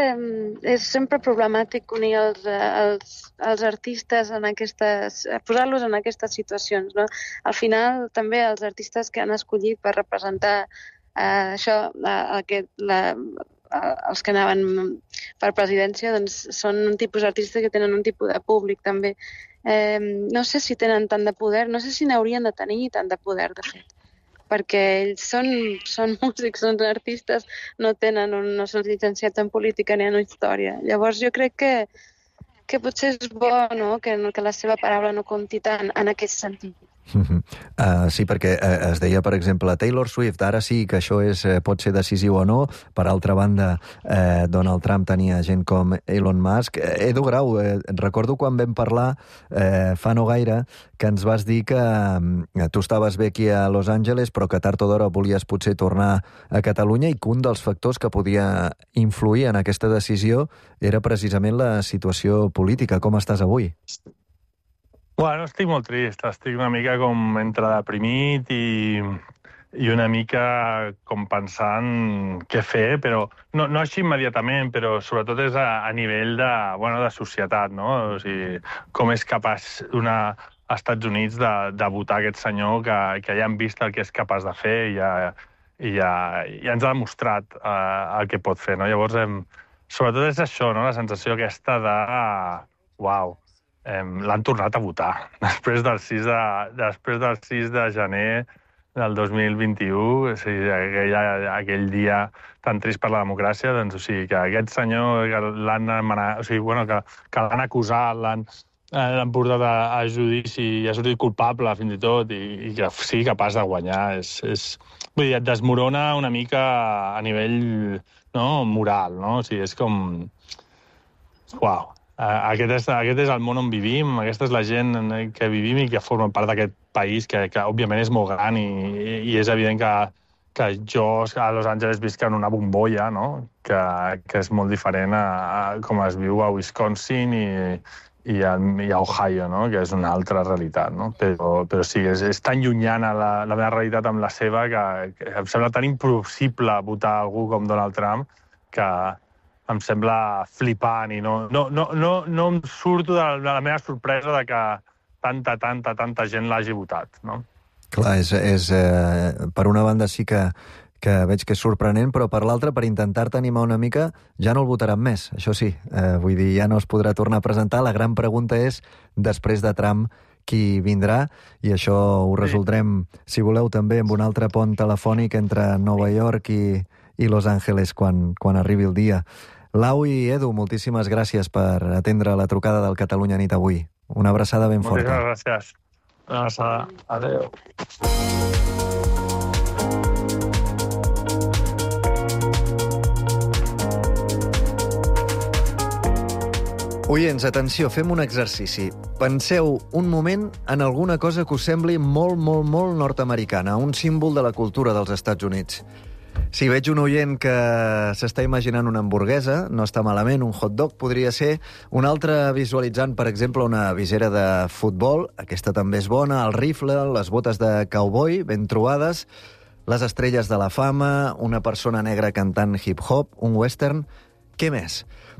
és sempre problemàtic unir els, els, els artistes en aquestes, posar-los en aquestes situacions, no? Al final també els artistes que han escollit per representar eh, això, eh, aquest, la, els que anaven per presidència, doncs són un tipus d'artistes que tenen un tipus de públic també. Eh, no sé si tenen tant de poder, no sé si n'haurien de tenir tant de poder, de fet, perquè ells són, són músics, són artistes, no tenen un, no són llicenciats en política ni en història. Llavors jo crec que, que potser és bo, no?, que, que la seva paraula no compti tant en aquest sentit. Uh-huh. Uh, sí, perquè uh, es deia, per exemple, Taylor Swift, ara sí que això és, uh, pot ser decisiu o no. Per altra banda, uh, Donald Trump tenia gent com Elon Musk. Uh, Edu Grau, uh, recordo quan vam parlar uh, fa no gaire que ens vas dir que uh, tu estaves bé aquí a Los Angeles, però que tard o d'hora volies potser tornar a Catalunya, i que un dels factors que podia influir en aquesta decisió era precisament la situació política. Com estàs avui? Bueno, estic molt trist, estic una mica com entre deprimit i, i una mica com pensant què fer, però no, no així immediatament, però sobretot és a, a nivell de, bueno, de societat, no? O sigui, com és capaç una, als Estats Units de, de votar aquest senyor que, que ja han vist el que és capaç de fer i ja, i ja, ja ens ha demostrat uh, el que pot fer, no? Llavors, hem, sobretot és això, no? La sensació aquesta de... Uau, l'han tornat a votar. Després del sis de, després del sis de gener del dos mil vint-i-u, o sigui, aquell, aquell dia tan trist per la democràcia, doncs, o sigui, que aquest senyor l'han o sigui, bueno, que, que l'han acusat, l'han l'han portat a, a judici i ha sortit culpable, fins i tot, i, i que sigui capaç de guanyar. És, és, vull dir, et desmorona una mica a nivell, no, moral, no? O sigui, és com... Uau. aquest, és, aquest és el món on vivim, aquesta és la gent que vivim i que forma part d'aquest país, que, que òbviament és molt gran i, i és evident que, que jo a Los Angeles visc en una bombolla, no? que, que és molt diferent a, a com es viu a Wisconsin i, i, a, i a Ohio, no? que és una altra realitat. No? Però, però sí, és, és tan llunyana la, la meva realitat amb la seva que, que em sembla tan impossible votar algú com Donald Trump que em sembla flipant i no, no, no, no, no em surto de la, de la meva sorpresa de que tanta, tanta, tanta gent l'hagi votat. No? Clar, és, és, eh, per una banda sí que, que veig que és sorprenent, però per l'altra, per intentar-te animar una mica, ja no el votaran més, això sí. Eh, vull dir, ja no es podrà tornar a presentar. La gran pregunta és, després de Trump, qui vindrà, i això ho resoldrem, si voleu, també amb un altre pont telefònic entre Nova York i, i Los Angeles quan, quan arribi el dia. Lau i Edu, moltíssimes gràcies per atendre la trucada del Catalunya Nit avui. Una abraçada ben forta. Moltíssimes gràcies. Una abraçada. Adéu. Oients, atenció, fem un exercici. Penseu un moment en alguna cosa que us sembli molt, molt, molt nord-americana, un símbol de la cultura dels Estats Units. Si veig un oient que s'està imaginant una hamburguesa, no està malament, un hot dog podria ser, un altre visualitzant, per exemple, una visera de futbol, aquesta també és bona, el rifle, les botes de cowboy, ben trobades, les estrelles de la fama, una persona negra cantant hip-hop, un western... Què més?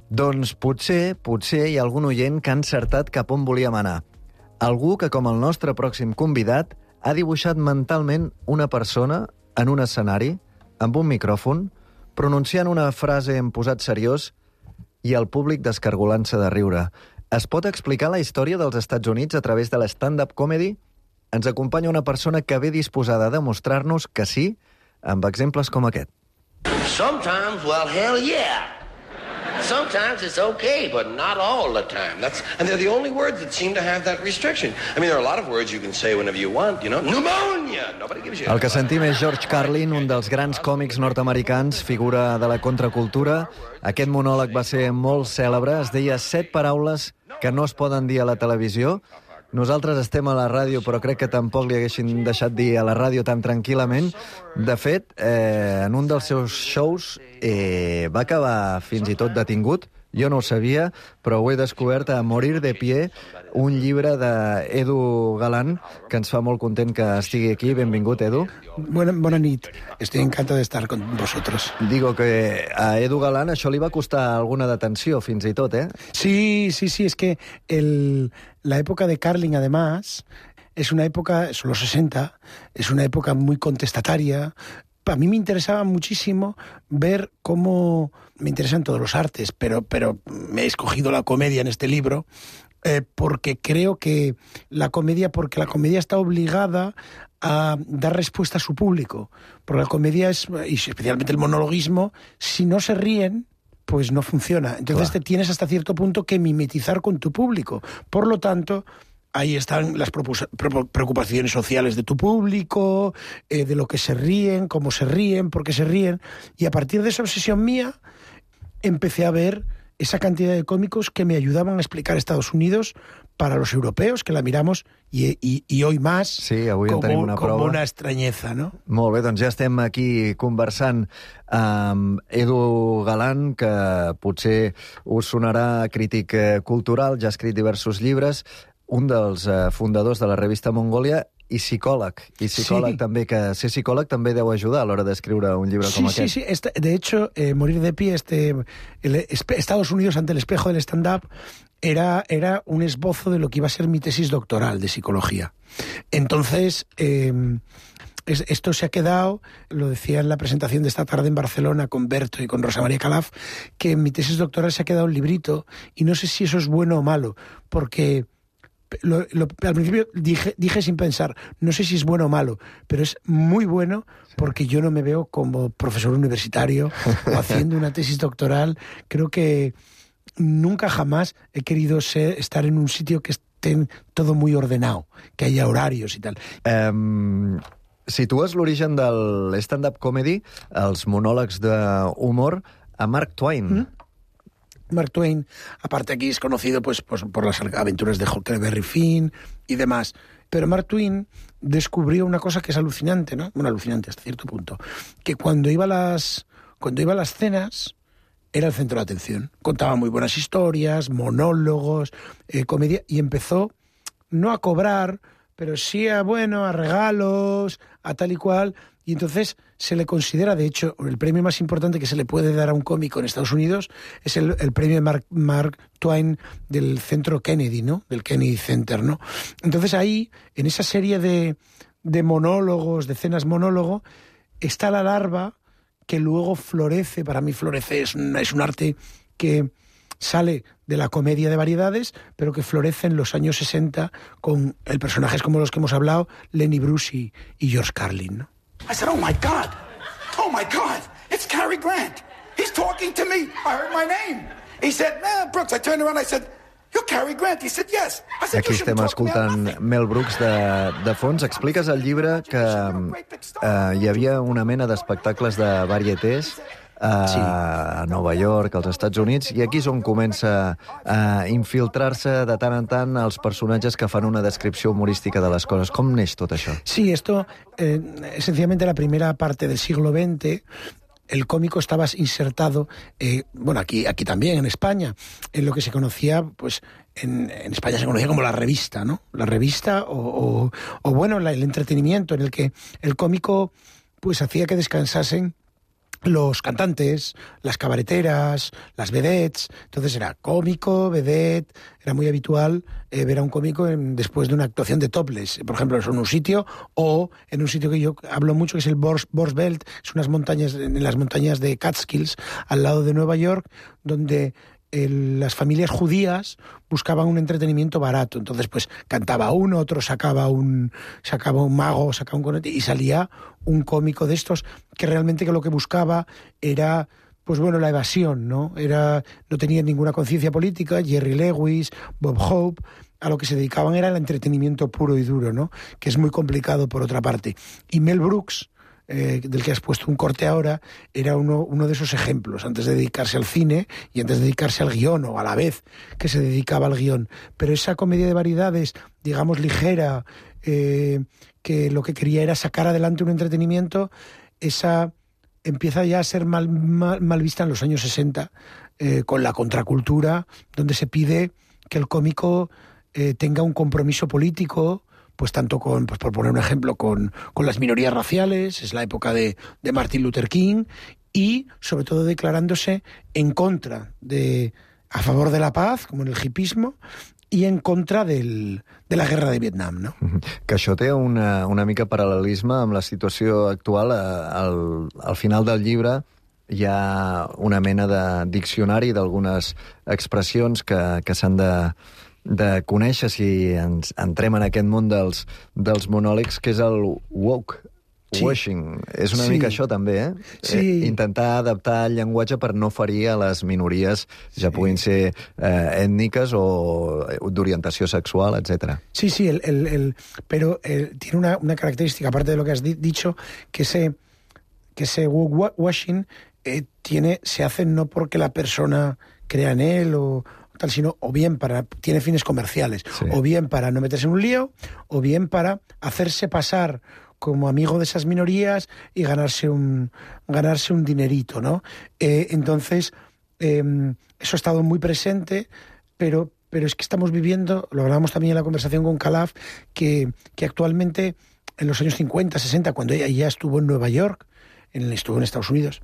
Doncs potser, potser hi ha algun oient que ha encertat cap on volíem anar. Algú que, com el nostre pròxim convidat, ha dibuixat mentalment una persona en un escenari, amb un micròfon, pronunciant una frase en posat seriós i el públic descargolant-se de riure. Es pot explicar la història dels Estats Units a través de l'stand-up comedy? Ens acompanya una persona que ve disposada a demostrar-nos que sí, amb exemples com aquest. Sometimes, well, hell yeah. Sometimes it's okay, but not all the time. That's, and they're the only words that seem to have that restriction. I mean, there are a lot of words you can say whenever you want, you know. Pneumonia! Nobody gives you... El que sentim és George Carlin, un dels grans còmics nord-americans, figura de la contracultura. Aquest monòleg va ser molt cèlebre. Es deia set paraules que no es poden dir a la televisió. Nosaltres estem a la ràdio, però crec que tampoc li haguessin deixat dir a la ràdio tan tranquil·lament. De fet, eh, en un dels seus shows eh, va acabar fins i tot detingut. Jo no ho sabia, però ho he descobert a Morir de Pie, un llibre d'Edu Galán, que ens fa molt content que estigui aquí. Benvingut, Edu. Bona, bona nit. Estoy encantado de estar con vosotros. Digo que a Edu Galán això li va costar alguna detenció, fins i tot, ¿eh? Sí, sí, sí, es que el, la época de Carlin, además, es una época, son los sesenta, es una época muy contestataria. A mí me interesaba muchísimo ver cómo... Me interesan todos los artes, pero, pero me he escogido la comedia en este libro eh, porque creo que la comedia, porque la comedia está obligada a dar respuesta a su público. Porque la comedia es, y especialmente el monologuismo, si no se ríen, pues no funciona. Entonces claro, te tienes hasta cierto punto que mimetizar con tu público. Por lo tanto... Ahí están las preocupaciones sociales de tu público, eh, de lo que se ríen, cómo se ríen, por qué se ríen. Y a partir de esa obsesión mía, empecé a ver esa cantidad de cómicos que me ayudaban a explicar Estados Unidos para los europeos, que la miramos, i, i, i hoy más, sí, avui com, tenim una com prova. Una estranyeza, no? Molt bé, doncs ja estem aquí conversant amb Edu Galán, que potser us sonarà crític cultural, ja ha escrit diversos llibres, un dels eh, fundadors de la revista Mongòlia i psicòleg. I psicòleg sí. també, que ser psicòleg també deu ajudar a l'hora d'escriure un llibre sí, com sí, aquest. Sí, sí, sí. De hecho, eh, Morir de Pie, este, el, Estados Unidos ante el espejo del stand-up, era, era un esbozo de lo que iba a ser mi tesis doctoral de psicología. Entonces... Eh, Es, esto se ha quedado, lo decía en la presentación de esta tarde en Barcelona con Berto y con Rosa María Calaf, que en mi tesis doctoral se ha quedado un librito, y no sé si eso es bueno o malo, porque lo, lo, al principio dije, dije sin pensar, no sé si es bueno o malo, pero es muy bueno porque yo no me veo como profesor universitario o haciendo una tesis doctoral. Creo que nunca jamás he querido ser, estar en un sitio que esté todo muy ordenado, que haya horarios y tal. Um... Situes l'origen del stand-up comedy, els monòlegs d'humor, a Mark Twain. Mm? Mark Twain, aparte aquí es conocido pues, pues por las aventuras de Huckleberry Finn y demás. Pero Mark Twain descubrió una cosa que es alucinante, ¿no? Bueno, alucinante hasta cierto punto. Que cuando iba a las, cuando iba a las cenas era el centro de atención. Contaba muy buenas historias, monólogos, eh, comedia, y empezó no a cobrar, pero sí a, bueno, a regalos, a tal y cual. Y entonces se le considera, de hecho, el premio más importante que se le puede dar a un cómico en Estados Unidos es el, el premio de Mark, Mark Twain del Centro Kennedy, ¿no? Del Kennedy Center, ¿no? Entonces ahí, en esa serie de, de monólogos, de cenas monólogo, está la larva que luego florece. Para mí florece, es un, es un arte que sale de la comedia de variedades, pero que florece en los años sesenta con el personajes como los que hemos hablado, Lenny Bruce y, y George Carlin, ¿no? I said, oh my God, oh my God, it's Cary Grant. He's talking to me. I heard my name. He said, nah, Brooks. I turned around, I said, you're Cary Grant. He said, yes. I said, Aquí estem escoltant Mel Brooks de, de fons. Expliques al llibre que eh, hi havia una mena d'espectacles de varietés a, sí. a Nova York, als Estats Units, i aquí és on comença a infiltrar-se de tant en tant els personatges que fan una descripció humorística de les coses. Com neix tot això? Sí, esto, eh, esencialmente la primera parte del siglo veinte, el cómico estaba insertado, eh, bueno, aquí, aquí también, en España, en lo que se conocía, pues, en, en España se conocía como la revista, ¿no? La revista o, o, o bueno, la, el entretenimiento en el que el cómico, pues, hacía que descansasen los cantantes, las cabareteras, las vedettes. Entonces era cómico, vedette. Era muy habitual eh, ver a un cómico en, después de una actuación de topless, por ejemplo, en un sitio, o en un sitio que yo hablo mucho, que es el Borsbelt, es unas montañas, en las montañas de Catskills, al lado de Nueva York, donde el, las familias judías buscaban un entretenimiento barato. Entonces, pues, cantaba uno, otro sacaba un, sacaba un mago, sacaba un conete, y salía un cómico de estos que realmente que lo que buscaba era, pues bueno, la evasión, ¿no? Era, no tenía ninguna conciencia política. Jerry Lewis, Bob Hope, a lo que se dedicaban era el entretenimiento puro y duro, ¿no? Que es muy complicado por otra parte. Y Mel Brooks, eh, del que has puesto un corte ahora, era uno, uno de esos ejemplos, antes de dedicarse al cine y antes de dedicarse al guión, o a la vez que se dedicaba al guión. Pero esa comedia de variedades, digamos, ligera, eh, que lo que quería era sacar adelante un entretenimiento, esa empieza ya a ser mal, mal, mal vista en los años sesenta, eh, con la contracultura, donde se pide que el cómico eh, tenga un compromiso político, pues tanto con, pues por poner un ejemplo, con, con las minorías raciales, es la época de, de Martin Luther King, y sobre todo declarándose en contra de, a favor de la paz, como en el hipismo, i en contra del, de la guerra de Vietnam, no? Que això té una, una mica paral·lelisme amb la situació actual. Al, al final del llibre hi ha una mena de diccionari d'algunes expressions que, que s'han de, de conèixer si ens entrem en aquest món dels, dels monòlegs, que és el woke. Sí. Washing. És una sí. mica això també, eh? Sí. eh? Intentar adaptar el llenguatge per no ferir a les minories, ja sí. puguin ser eh, ètniques o d'orientació sexual, etcétera. Sí, sí, el, el, el, pero el, tiene una, una característica, aparte de lo que has di dicho, que ese, que ese washing eh, tiene, se hace no porque la persona crea en él o tal, sino o bien para, tiene fines comerciales, sí. o bien para no meterse en un lío, o bien para hacerse pasar como amigo de esas minorías y ganarse un, ganarse un dinerito, ¿no? Eh, entonces, eh, eso ha estado muy presente, pero, pero es que estamos viviendo, lo hablábamos también en la conversación con Calaf, que, que actualmente, en los años cincuenta, sesenta, cuando ella ya estuvo en Nueva York, en, estuvo en Estados Unidos,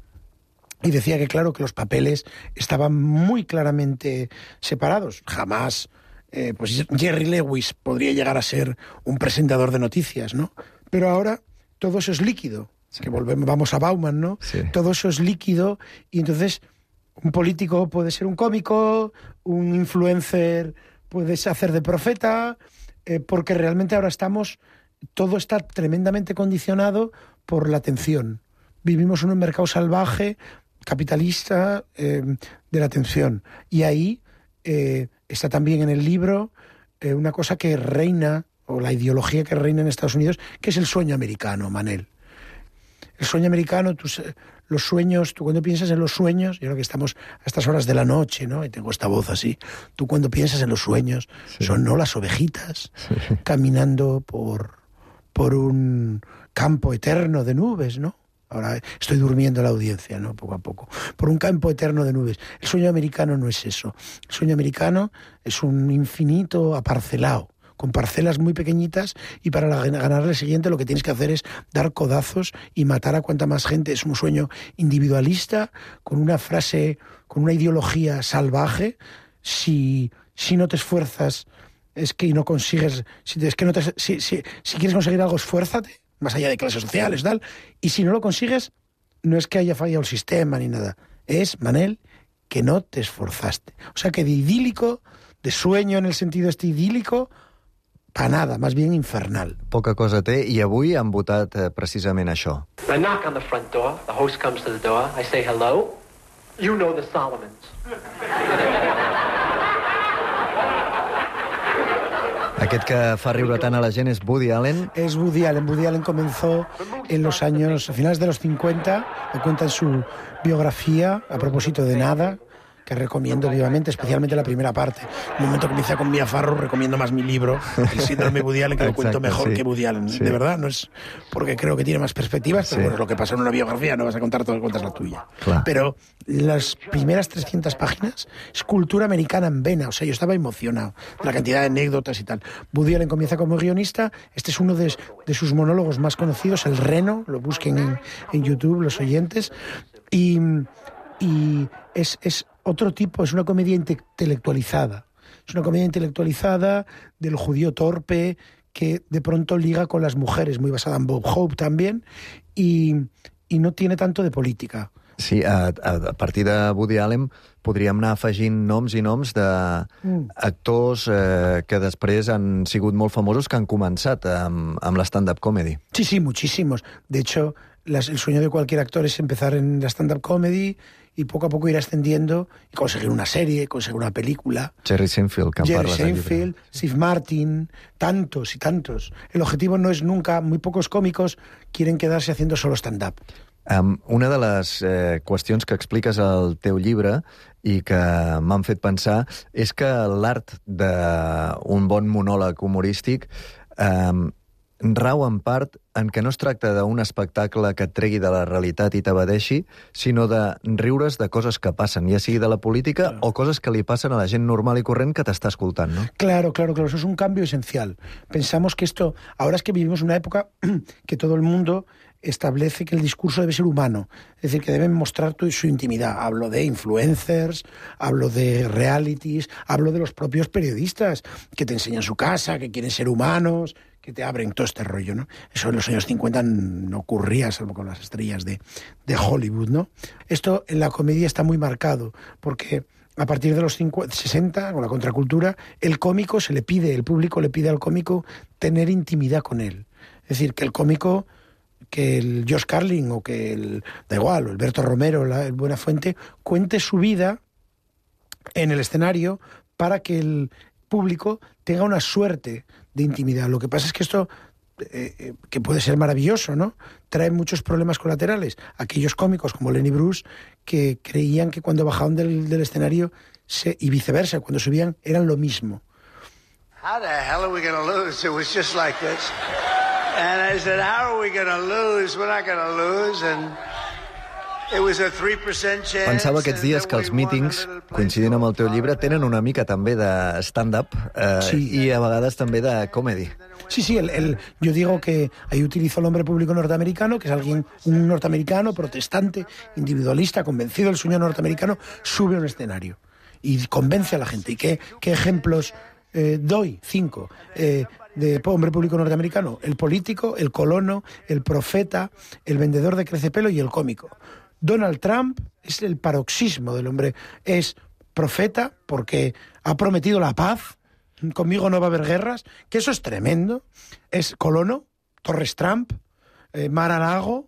y decía que, claro, que los papeles estaban muy claramente separados. Jamás, eh, pues Jerry Lewis podría llegar a ser un presentador de noticias, ¿no? Pero ahora todo eso es líquido, sí. que volvemos, vamos a Bauman, ¿no? Sí. Todo eso es líquido, y entonces un político puede ser un cómico, un influencer puede hacer de profeta, eh, porque realmente ahora estamos, todo está tremendamente condicionado por la atención. Vivimos en un mercado salvaje, capitalista, eh, de la atención. Y ahí eh, está también en el libro eh, una cosa que reina, o la ideología que reina en Estados Unidos, que es el sueño americano, Manel. El sueño americano, tú, los sueños, tú cuando piensas en los sueños, yo creo que estamos a estas horas de la noche, ¿no? Y tengo esta voz así. Tú cuando piensas en los sueños, sí. son no las ovejitas sí. caminando por, por un campo eterno de nubes, ¿no? Ahora estoy durmiendo la audiencia, ¿no? Poco a poco. Por un campo eterno de nubes. El sueño americano no es eso. El sueño americano es un infinito aparcelado, con parcelas muy pequeñitas, y para ganar el siguiente lo que tienes que hacer es dar codazos y matar a cuanta más gente. Es un sueño individualista, con una frase, con una ideología salvaje. Si, si no te esfuerzas, es que no consigues... Si, es que no te, si, si, si quieres conseguir algo, esfuérzate, más allá de clases sociales, tal. Y si no lo consigues, no es que haya fallado el sistema ni nada. Es, Manel, que no te esforzaste. O sea que de idílico, de sueño en el sentido este idílico, pa nada, más bien infernal. Poca cosa té, i avui han votat eh, precisament això. I knock on the front door, the host comes to the door, I say hello, you know the Solomons. Aquest que fa riure tant a la gent es Woody Allen. Es Woody Allen. Woody Allen comenzó en los años, a finales de los cincuenta, lo cuenta en su biografía, A propósito de nada, que recomiendo vivamente, especialmente la primera parte. En el momento que empieza con Mia Farrow, recomiendo más mi libro, El síndrome Woody Allen, que lo cuento mejor sí. que Woody Allen. Sí. De verdad, no es porque creo que tiene más perspectivas, pero sí. bueno, lo que pasa en una biografía no vas a contar todo, cuentas la tuya. Claro. Pero las primeras trescientas páginas es cultura americana en vena. O sea, yo estaba emocionado de la cantidad de anécdotas y tal. Woody Allen comienza como guionista. Este es uno de, de sus monólogos más conocidos, El Reno. Lo busquen en, en YouTube los oyentes. Y, y es... es otro tipo, es una comedia intelectualizada. Es una comedia intelectualizada del judío torpe que de pronto liga con las mujeres, muy basada en Bob Hope también, y, y no tiene tanto de política. Sí, a, a partir de Woody Allen podríem anar afegint noms i noms d'actors mm. eh, que després han sigut molt famosos, que han començat amb, amb la stand-up comedy. Sí, sí, muchísimos. De hecho, las, el sueño de cualquier actor es empezar en la stand-up comedy y poco a poco ir ascendiendo y conseguir una serie, conseguir una película. Jerry Seinfeld, que Jerry Seinfeld, Steve Martin, tantos y tantos. El objetivo no es nunca, muy pocos cómicos quieren quedarse haciendo solo stand-up. Um, una de les eh, qüestions que expliques al teu llibre i que m'han fet pensar és que l'art d'un bon monòleg humorístic um, rau en part en que no es tracta d'un espectacle que et tregui de la realitat i t'evadeixi, sinó de riure's de coses que passen, ja sigui de la política claro. o coses que li passen a la gent normal i corrent que t'està escoltant, ¿no? Claro, claro, claro, eso es un cambio esencial. Pensamos que esto, ahora es que vivimos una época que todo el mundo establece que el discurso debe ser humano, es decir, que deben mostrar tu, su intimidad. Hablo de influencers, hablo de realities, hablo de los propios periodistas que te enseñan su casa, que quieren ser humanos, que te abren todo este rollo, ¿no? Eso en los años cincuenta no ocurría, salvo con las estrellas de, de Hollywood, ¿no? Esto en la comedia está muy marcado, porque a partir de los cincuenta, sesenta, con la contracultura, el cómico se le pide, el público le pide al cómico tener intimidad con él. Es decir, que el cómico, que el Josh Carlin o que el, da igual, o Alberto Romero, la, el Buenafuente, cuente su vida en el escenario para que el público tenga una suerte de intimidad. Lo que pasa es que esto, eh, que puede ser maravilloso, ¿no?, trae muchos problemas colaterales. Aquellos cómicos como Lenny Bruce que creían que cuando bajaban del, del escenario se, y viceversa, cuando subían, eran lo mismo. How the hell are we going to lose? It was just like this. And I said, how are we going to lose? We're not going to lose. And it was a three percent chance. Pensava aquests dies que els mítings, coincidint amb el teu llibre, tenen una mica també de stand-up eh, sí. i a vegades també de comedy. Sí, sí, el, el, yo digo que ahí utilizo el hombre público norteamericano, que es alguien, un norteamericano protestante, individualista, convencido del sueño norteamericano, sube a un escenario y convence a la gente. ¿Y qué, qué ejemplos eh, doy? Cinco. Eh, de hombre público norteamericano: el político, el colono, el profeta, el vendedor de crecepelo y el cómico. Donald Trump es el paroxismo del hombre. Es profeta porque ha prometido la paz, conmigo no va a haber guerras, que eso es tremendo. Es colono, Torres Trump, eh, Mar-a-Lago,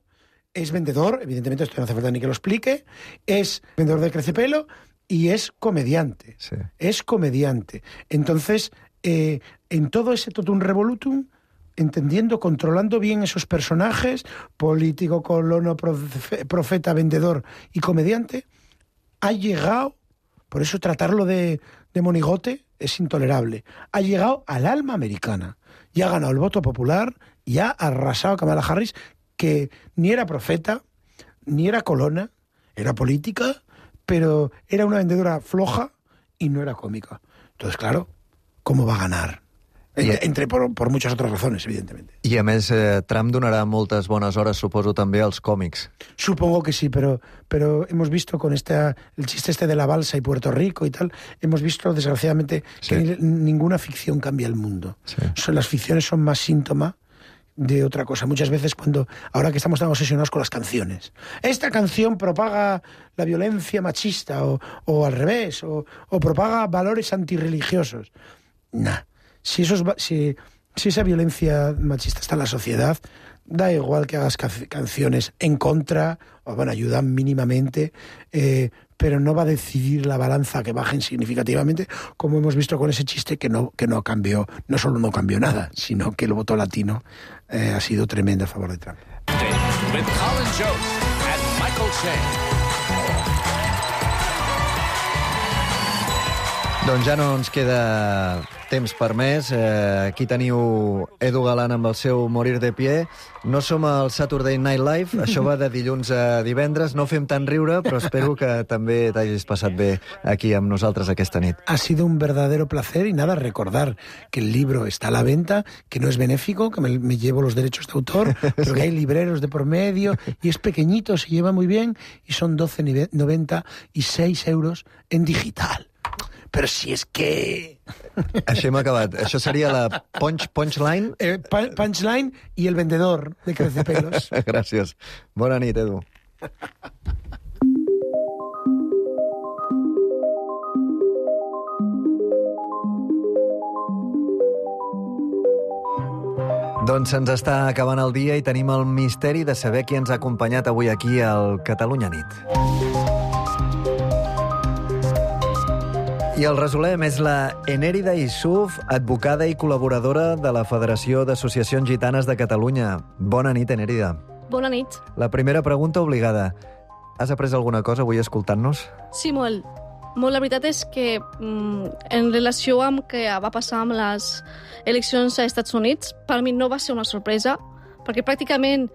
es vendedor, evidentemente esto no hace falta ni que lo explique, es vendedor de crecepelo y es comediante. Sí. Es comediante. Entonces, eh, en todo ese totum revolutum, entendiendo, controlando bien esos personajes, político, colono, profe- profeta, vendedor y comediante, ha llegado, por eso tratarlo de, de monigote es intolerable, ha llegado al alma americana y ha ganado el voto popular y ha arrasado a Kamala Harris, que ni era profeta, ni era colona, era política, pero era una vendedora floja y no era cómica. Entonces, claro, ¿cómo va a ganar? Entre, entre por, por muchas otras razones, evidentemente. I a més, eh, Trump donarà moltes bones hores, suposo, també als còmics. Supongo que sí, pero, pero hemos visto con esta, el chiste este de la balsa y Puerto Rico y tal, hemos visto, desgraciadamente, sí. que ni, ninguna ficción cambia el mundo. Sí. Son, las ficciones son más síntoma de otra cosa. Muchas veces cuando, ahora que estamos tan obsesionados con las canciones, esta canción propaga la violencia machista o, o al revés, o, o propaga valores antirreligiosos. Nah. Si, esos, si, si esa violencia machista está en la sociedad, da igual que hagas ca- canciones en contra, o bueno, ayudan mínimamente, eh, pero no va a decidir la balanza que bajen significativamente, como hemos visto con ese chiste que no, que no cambió, no solo no cambió nada, sino que el voto latino eh, ha sido tremendo a favor de Trump. With Colin Jost and Michael Che. Doncs ja no ens queda temps per més. Eh, aquí teniu Edu Galán amb el seu Morir de Pie. No som al Saturday Night Live, això va de dilluns a divendres. No fem tant riure, però espero que també t'hagis passat bé aquí amb nosaltres aquesta nit. Ha sido un verdadero placer y nada, recordar que el libro está a la venta, que no es benéfico, que me, me llevo los derechos de autor, pero que hay libreros de por medio y es pequeñito, se lleva muy bien y son doce noventa y seis euros en digital. Però si és que... Això hem acabat. Això seria la punch, punchline? Eh, punchline i el vendedor de crecepelos. Gràcies. Bona nit, Edu. Doncs se'ns està acabant el dia i tenim el misteri de saber qui ens ha acompanyat avui aquí al Catalunya Nit. I el resolem és la Enèrida Isuf, advocada i col·laboradora de la Federació d'Associacions Gitanes de Catalunya. Bona nit, Enèrida. Bona nit. La primera pregunta obligada. Has après alguna cosa avui escoltant-nos? Sí, molt. Molt, la veritat és que mm, en relació amb què va passar amb les eleccions als Estats Units, per mi no va ser una sorpresa, perquè pràcticament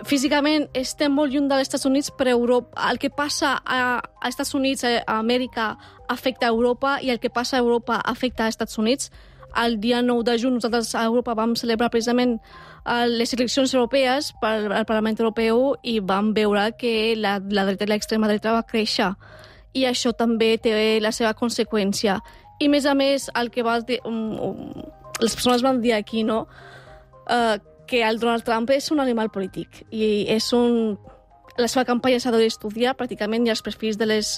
físicament estem molt lluny dels Estats Units, però Europa, el que passa a, a Estats Units, a Amèrica, afecta a Europa, i el que passa a Europa afecta a Estats Units. El dia nou de juny nosaltres a Europa vam celebrar precisament les eleccions europees per al Parlament Europeu i vam veure que la, la dreta i l'extrema dreta va créixer. I això també té la seva conseqüència. I, a més a més, el que va dir, um, um, les persones van dir aquí, no?, uh, que el Donald Trump és un animal polític i és un... la seva campanya s'ha d'estudiar pràcticament i els perfils de les,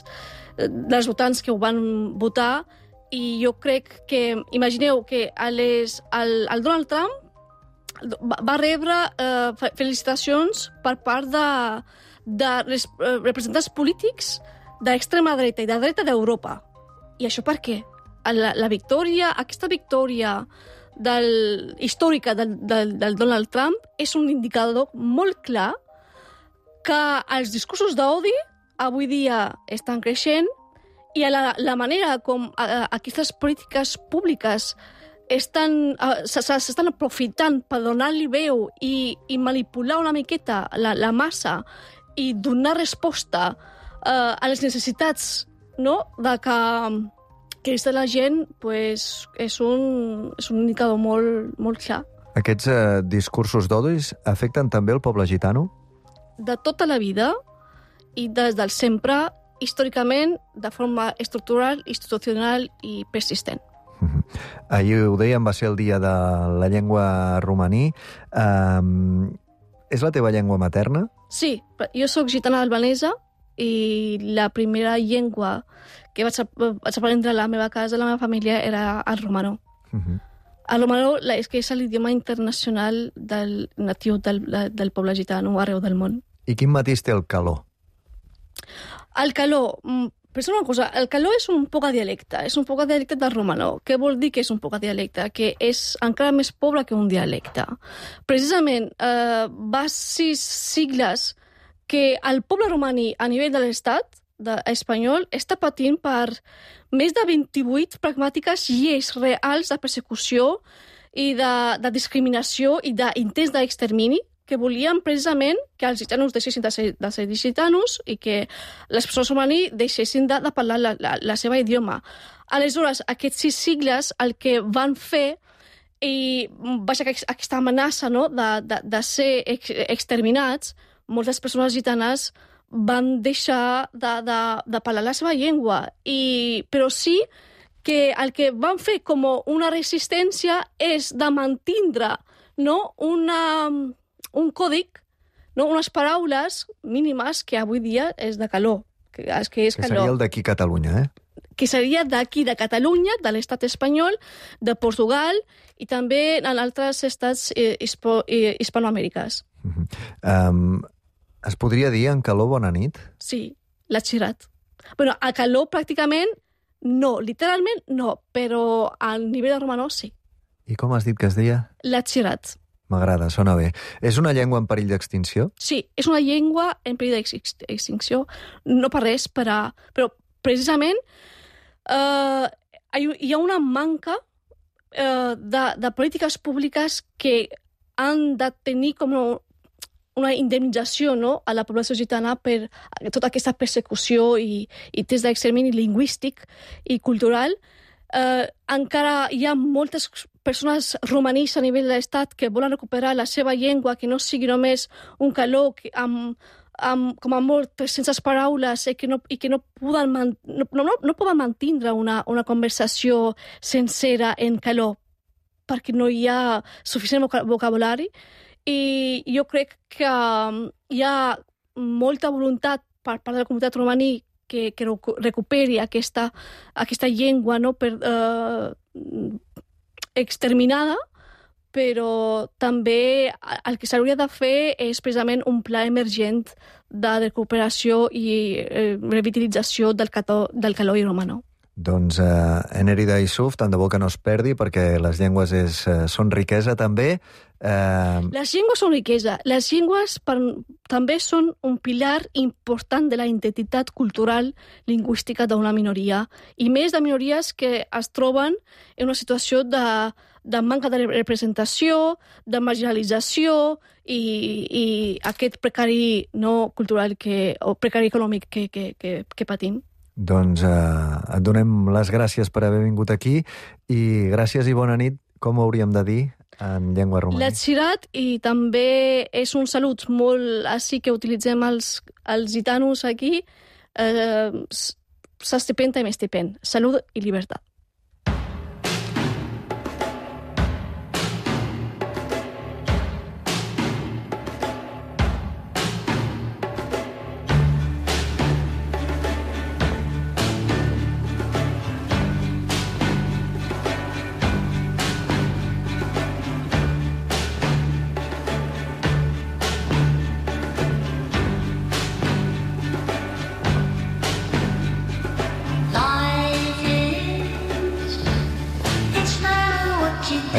dels votants que ho van votar, i jo crec que, imagineu que a les, el, el Donald Trump va, va rebre eh, felicitacions per part de, de res, eh, representants polítics de l'extrema dreta i de dreta d'Europa. I això per què? La, la victòria, aquesta victòria del, històrica del, del, del Donald Trump és un indicador molt clar que els discursos d'odi avui dia estan creixent i la, la manera com a, aquestes polítiques públiques estan, s'estan aprofitant per donar-li veu i, i manipular una miqueta la, la massa i donar resposta uh, a les necessitats, no?, de que que és de la gent, pues, és, un, és un indicador molt, molt clar. Aquests eh, discursos d'odis afecten també el poble gitano? De tota la vida i des del sempre, històricament, de forma estructural, institucional i persistent. Ahir ho dèiem, va ser el dia de la llengua romaní. Um, és la teva llengua materna? Sí, jo sóc gitana albanesa i la primera llengua que vaig, vaig aprendre a la meva casa, a la meva família, era el romano. Uh-huh. El romano és que és l'idioma internacional del, natiu del, del poble gitano arreu del món. I quin matís té el calor? El calor, Pensa una cosa, el caló és un poc a dialecte, és un poc a dialecte del romanó. Què vol dir que és un poc a dialecte? Que és encara més pobre que un dialecte. Precisament, eh, va sis sigles que el poble romaní a nivell de l'estat espanyol està patint per més de vint-i-vuit pragmàtiques lleis reals de persecució i de, de discriminació i d'intents d'extermini que volien precisament que els gitanos deixessin de ser, de ser gitanos i que les persones romaní deixessin de, de parlar la, la, la seva idioma. Aleshores, aquests sis sigles el que van fer i vaja aquesta amenaça, no, de, de, de ser ex, exterminats, moltes persones gitanes van deixar de, de, de parlar la seva llengua. I, però sí que el que van fer com una resistència és de mantindre, no, una... un còdic, no? Unes paraules mínimes que avui dia és de calor. Que, és que, és que calor. seria el d'aquí Catalunya, eh? Que seria d'aquí de Catalunya, de l'estat espanyol, de Portugal i també en altres estats eh, hispo, eh, hispanoamericanes. Uh-huh. Um, es podria dir en calor bona nit? Sí, l'ha xirat. Bueno, a calor pràcticament no, literalment no, però al nivell de romanó sí. I com has dit que es deia? L'ha xirat. M'agrada, sona bé. És una llengua en perill d'extinció? Sí, és una llengua en perill d'extinció. No per res, per a... però precisament eh, hi ha una manca eh, de, de polítiques públiques que han de tenir com una, una indemnització, no, a la població gitana per tota aquesta persecució i, i test d'extermini lingüístic i cultural. Eh, encara hi ha moltes persones romanís a nivell de l'estat que volen recuperar la seva llengua, que no sigui només un caló que amb, amb, com a molt tres-centes paraules i que no, i que no, poden, man, no, no, no poden mantindre una, una conversació sencera en caló perquè no hi ha suficient vocabulari. I jo crec que hi ha molta voluntat per part de la comunitat romaní que, que recuperi aquesta, aquesta llengua, no, per, eh, exterminada, però també el que s'hauria de fer és precisament un pla emergent de recuperació i eh, revitalització del, cató, del caló i romanó. Doncs eh, Enèrida Yusuf, tant de bo que no es perdi, perquè les llengües és, eh, són riquesa també. Eh... Les llengües són riquesa. Les llengües per, també són un pilar important de la identitat cultural lingüística d'una minoria, i més de minories que es troben en una situació de, de manca de representació, de marginalització i, i aquest precari no cultural que, o precari econòmic que, que, que, que patim. Doncs eh, et donem les gràcies per haver vingut aquí i gràcies i bona nit, com ho hauríem de dir en llengua romaní? L'atxirat, i també és un salut molt així que utilitzem els, els gitanos aquí, eh, s'estipenta i m'estipent. Salut i llibertat.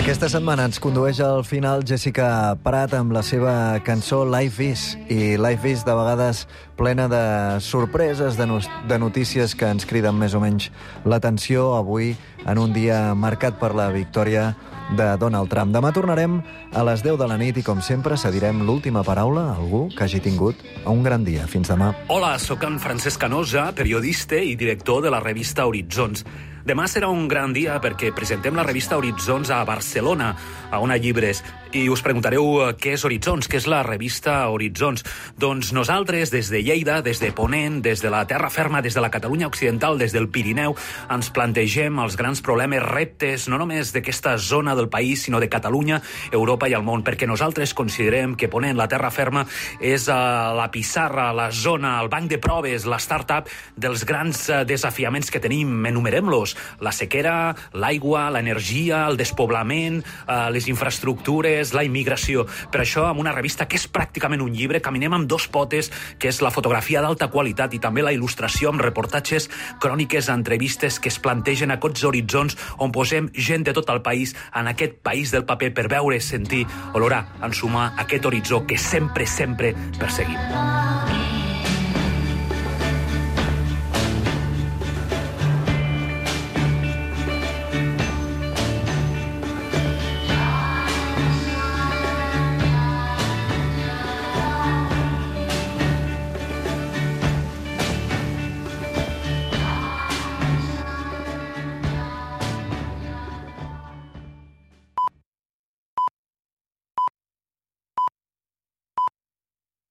Aquesta setmana ens condueix al final Jessica Prat amb la seva cançó Life Is. I Life Is de vegades plena de sorpreses, de, no de notícies que ens criden més o menys l'atenció avui en un dia marcat per la victòria de Donald Trump. Demà tornarem a les deu de la nit i, com sempre, cedirem l'última paraula a algú que hagi tingut un gran dia. Fins demà. Hola, sóc en Francesc Canosa, periodista i director de la revista Horitzons. Demà serà un gran dia perquè presentem la revista Horitzons a Barcelona, a Ona Llibres. I us preguntareu què és Horitzons, què és la revista Horitzons. Doncs nosaltres, des de Lleida, des de Ponent, des de la terra ferma, des de la Catalunya occidental, des del Pirineu, ens plantegem els grans problemes, reptes, no només d'aquesta zona del país, sinó de Catalunya, Europa i el món, perquè nosaltres considerem que Ponent, la terra ferma, és la pissarra, la zona, el banc de proves, la start-up dels grans desafiaments que tenim. Enumerem-los. horitzons. La sequera, l'aigua, l'energia, el despoblament, eh, les infraestructures, la immigració. Per això, amb una revista que és pràcticament un llibre, caminem amb dos potes, que és la fotografia d'alta qualitat i també la il·lustració amb reportatges, cròniques, entrevistes que es plantegen aquests horitzons on posem gent de tot el país en aquest país del paper per veure, sentir, olorar, ensumar aquest horitzó que sempre, sempre perseguim.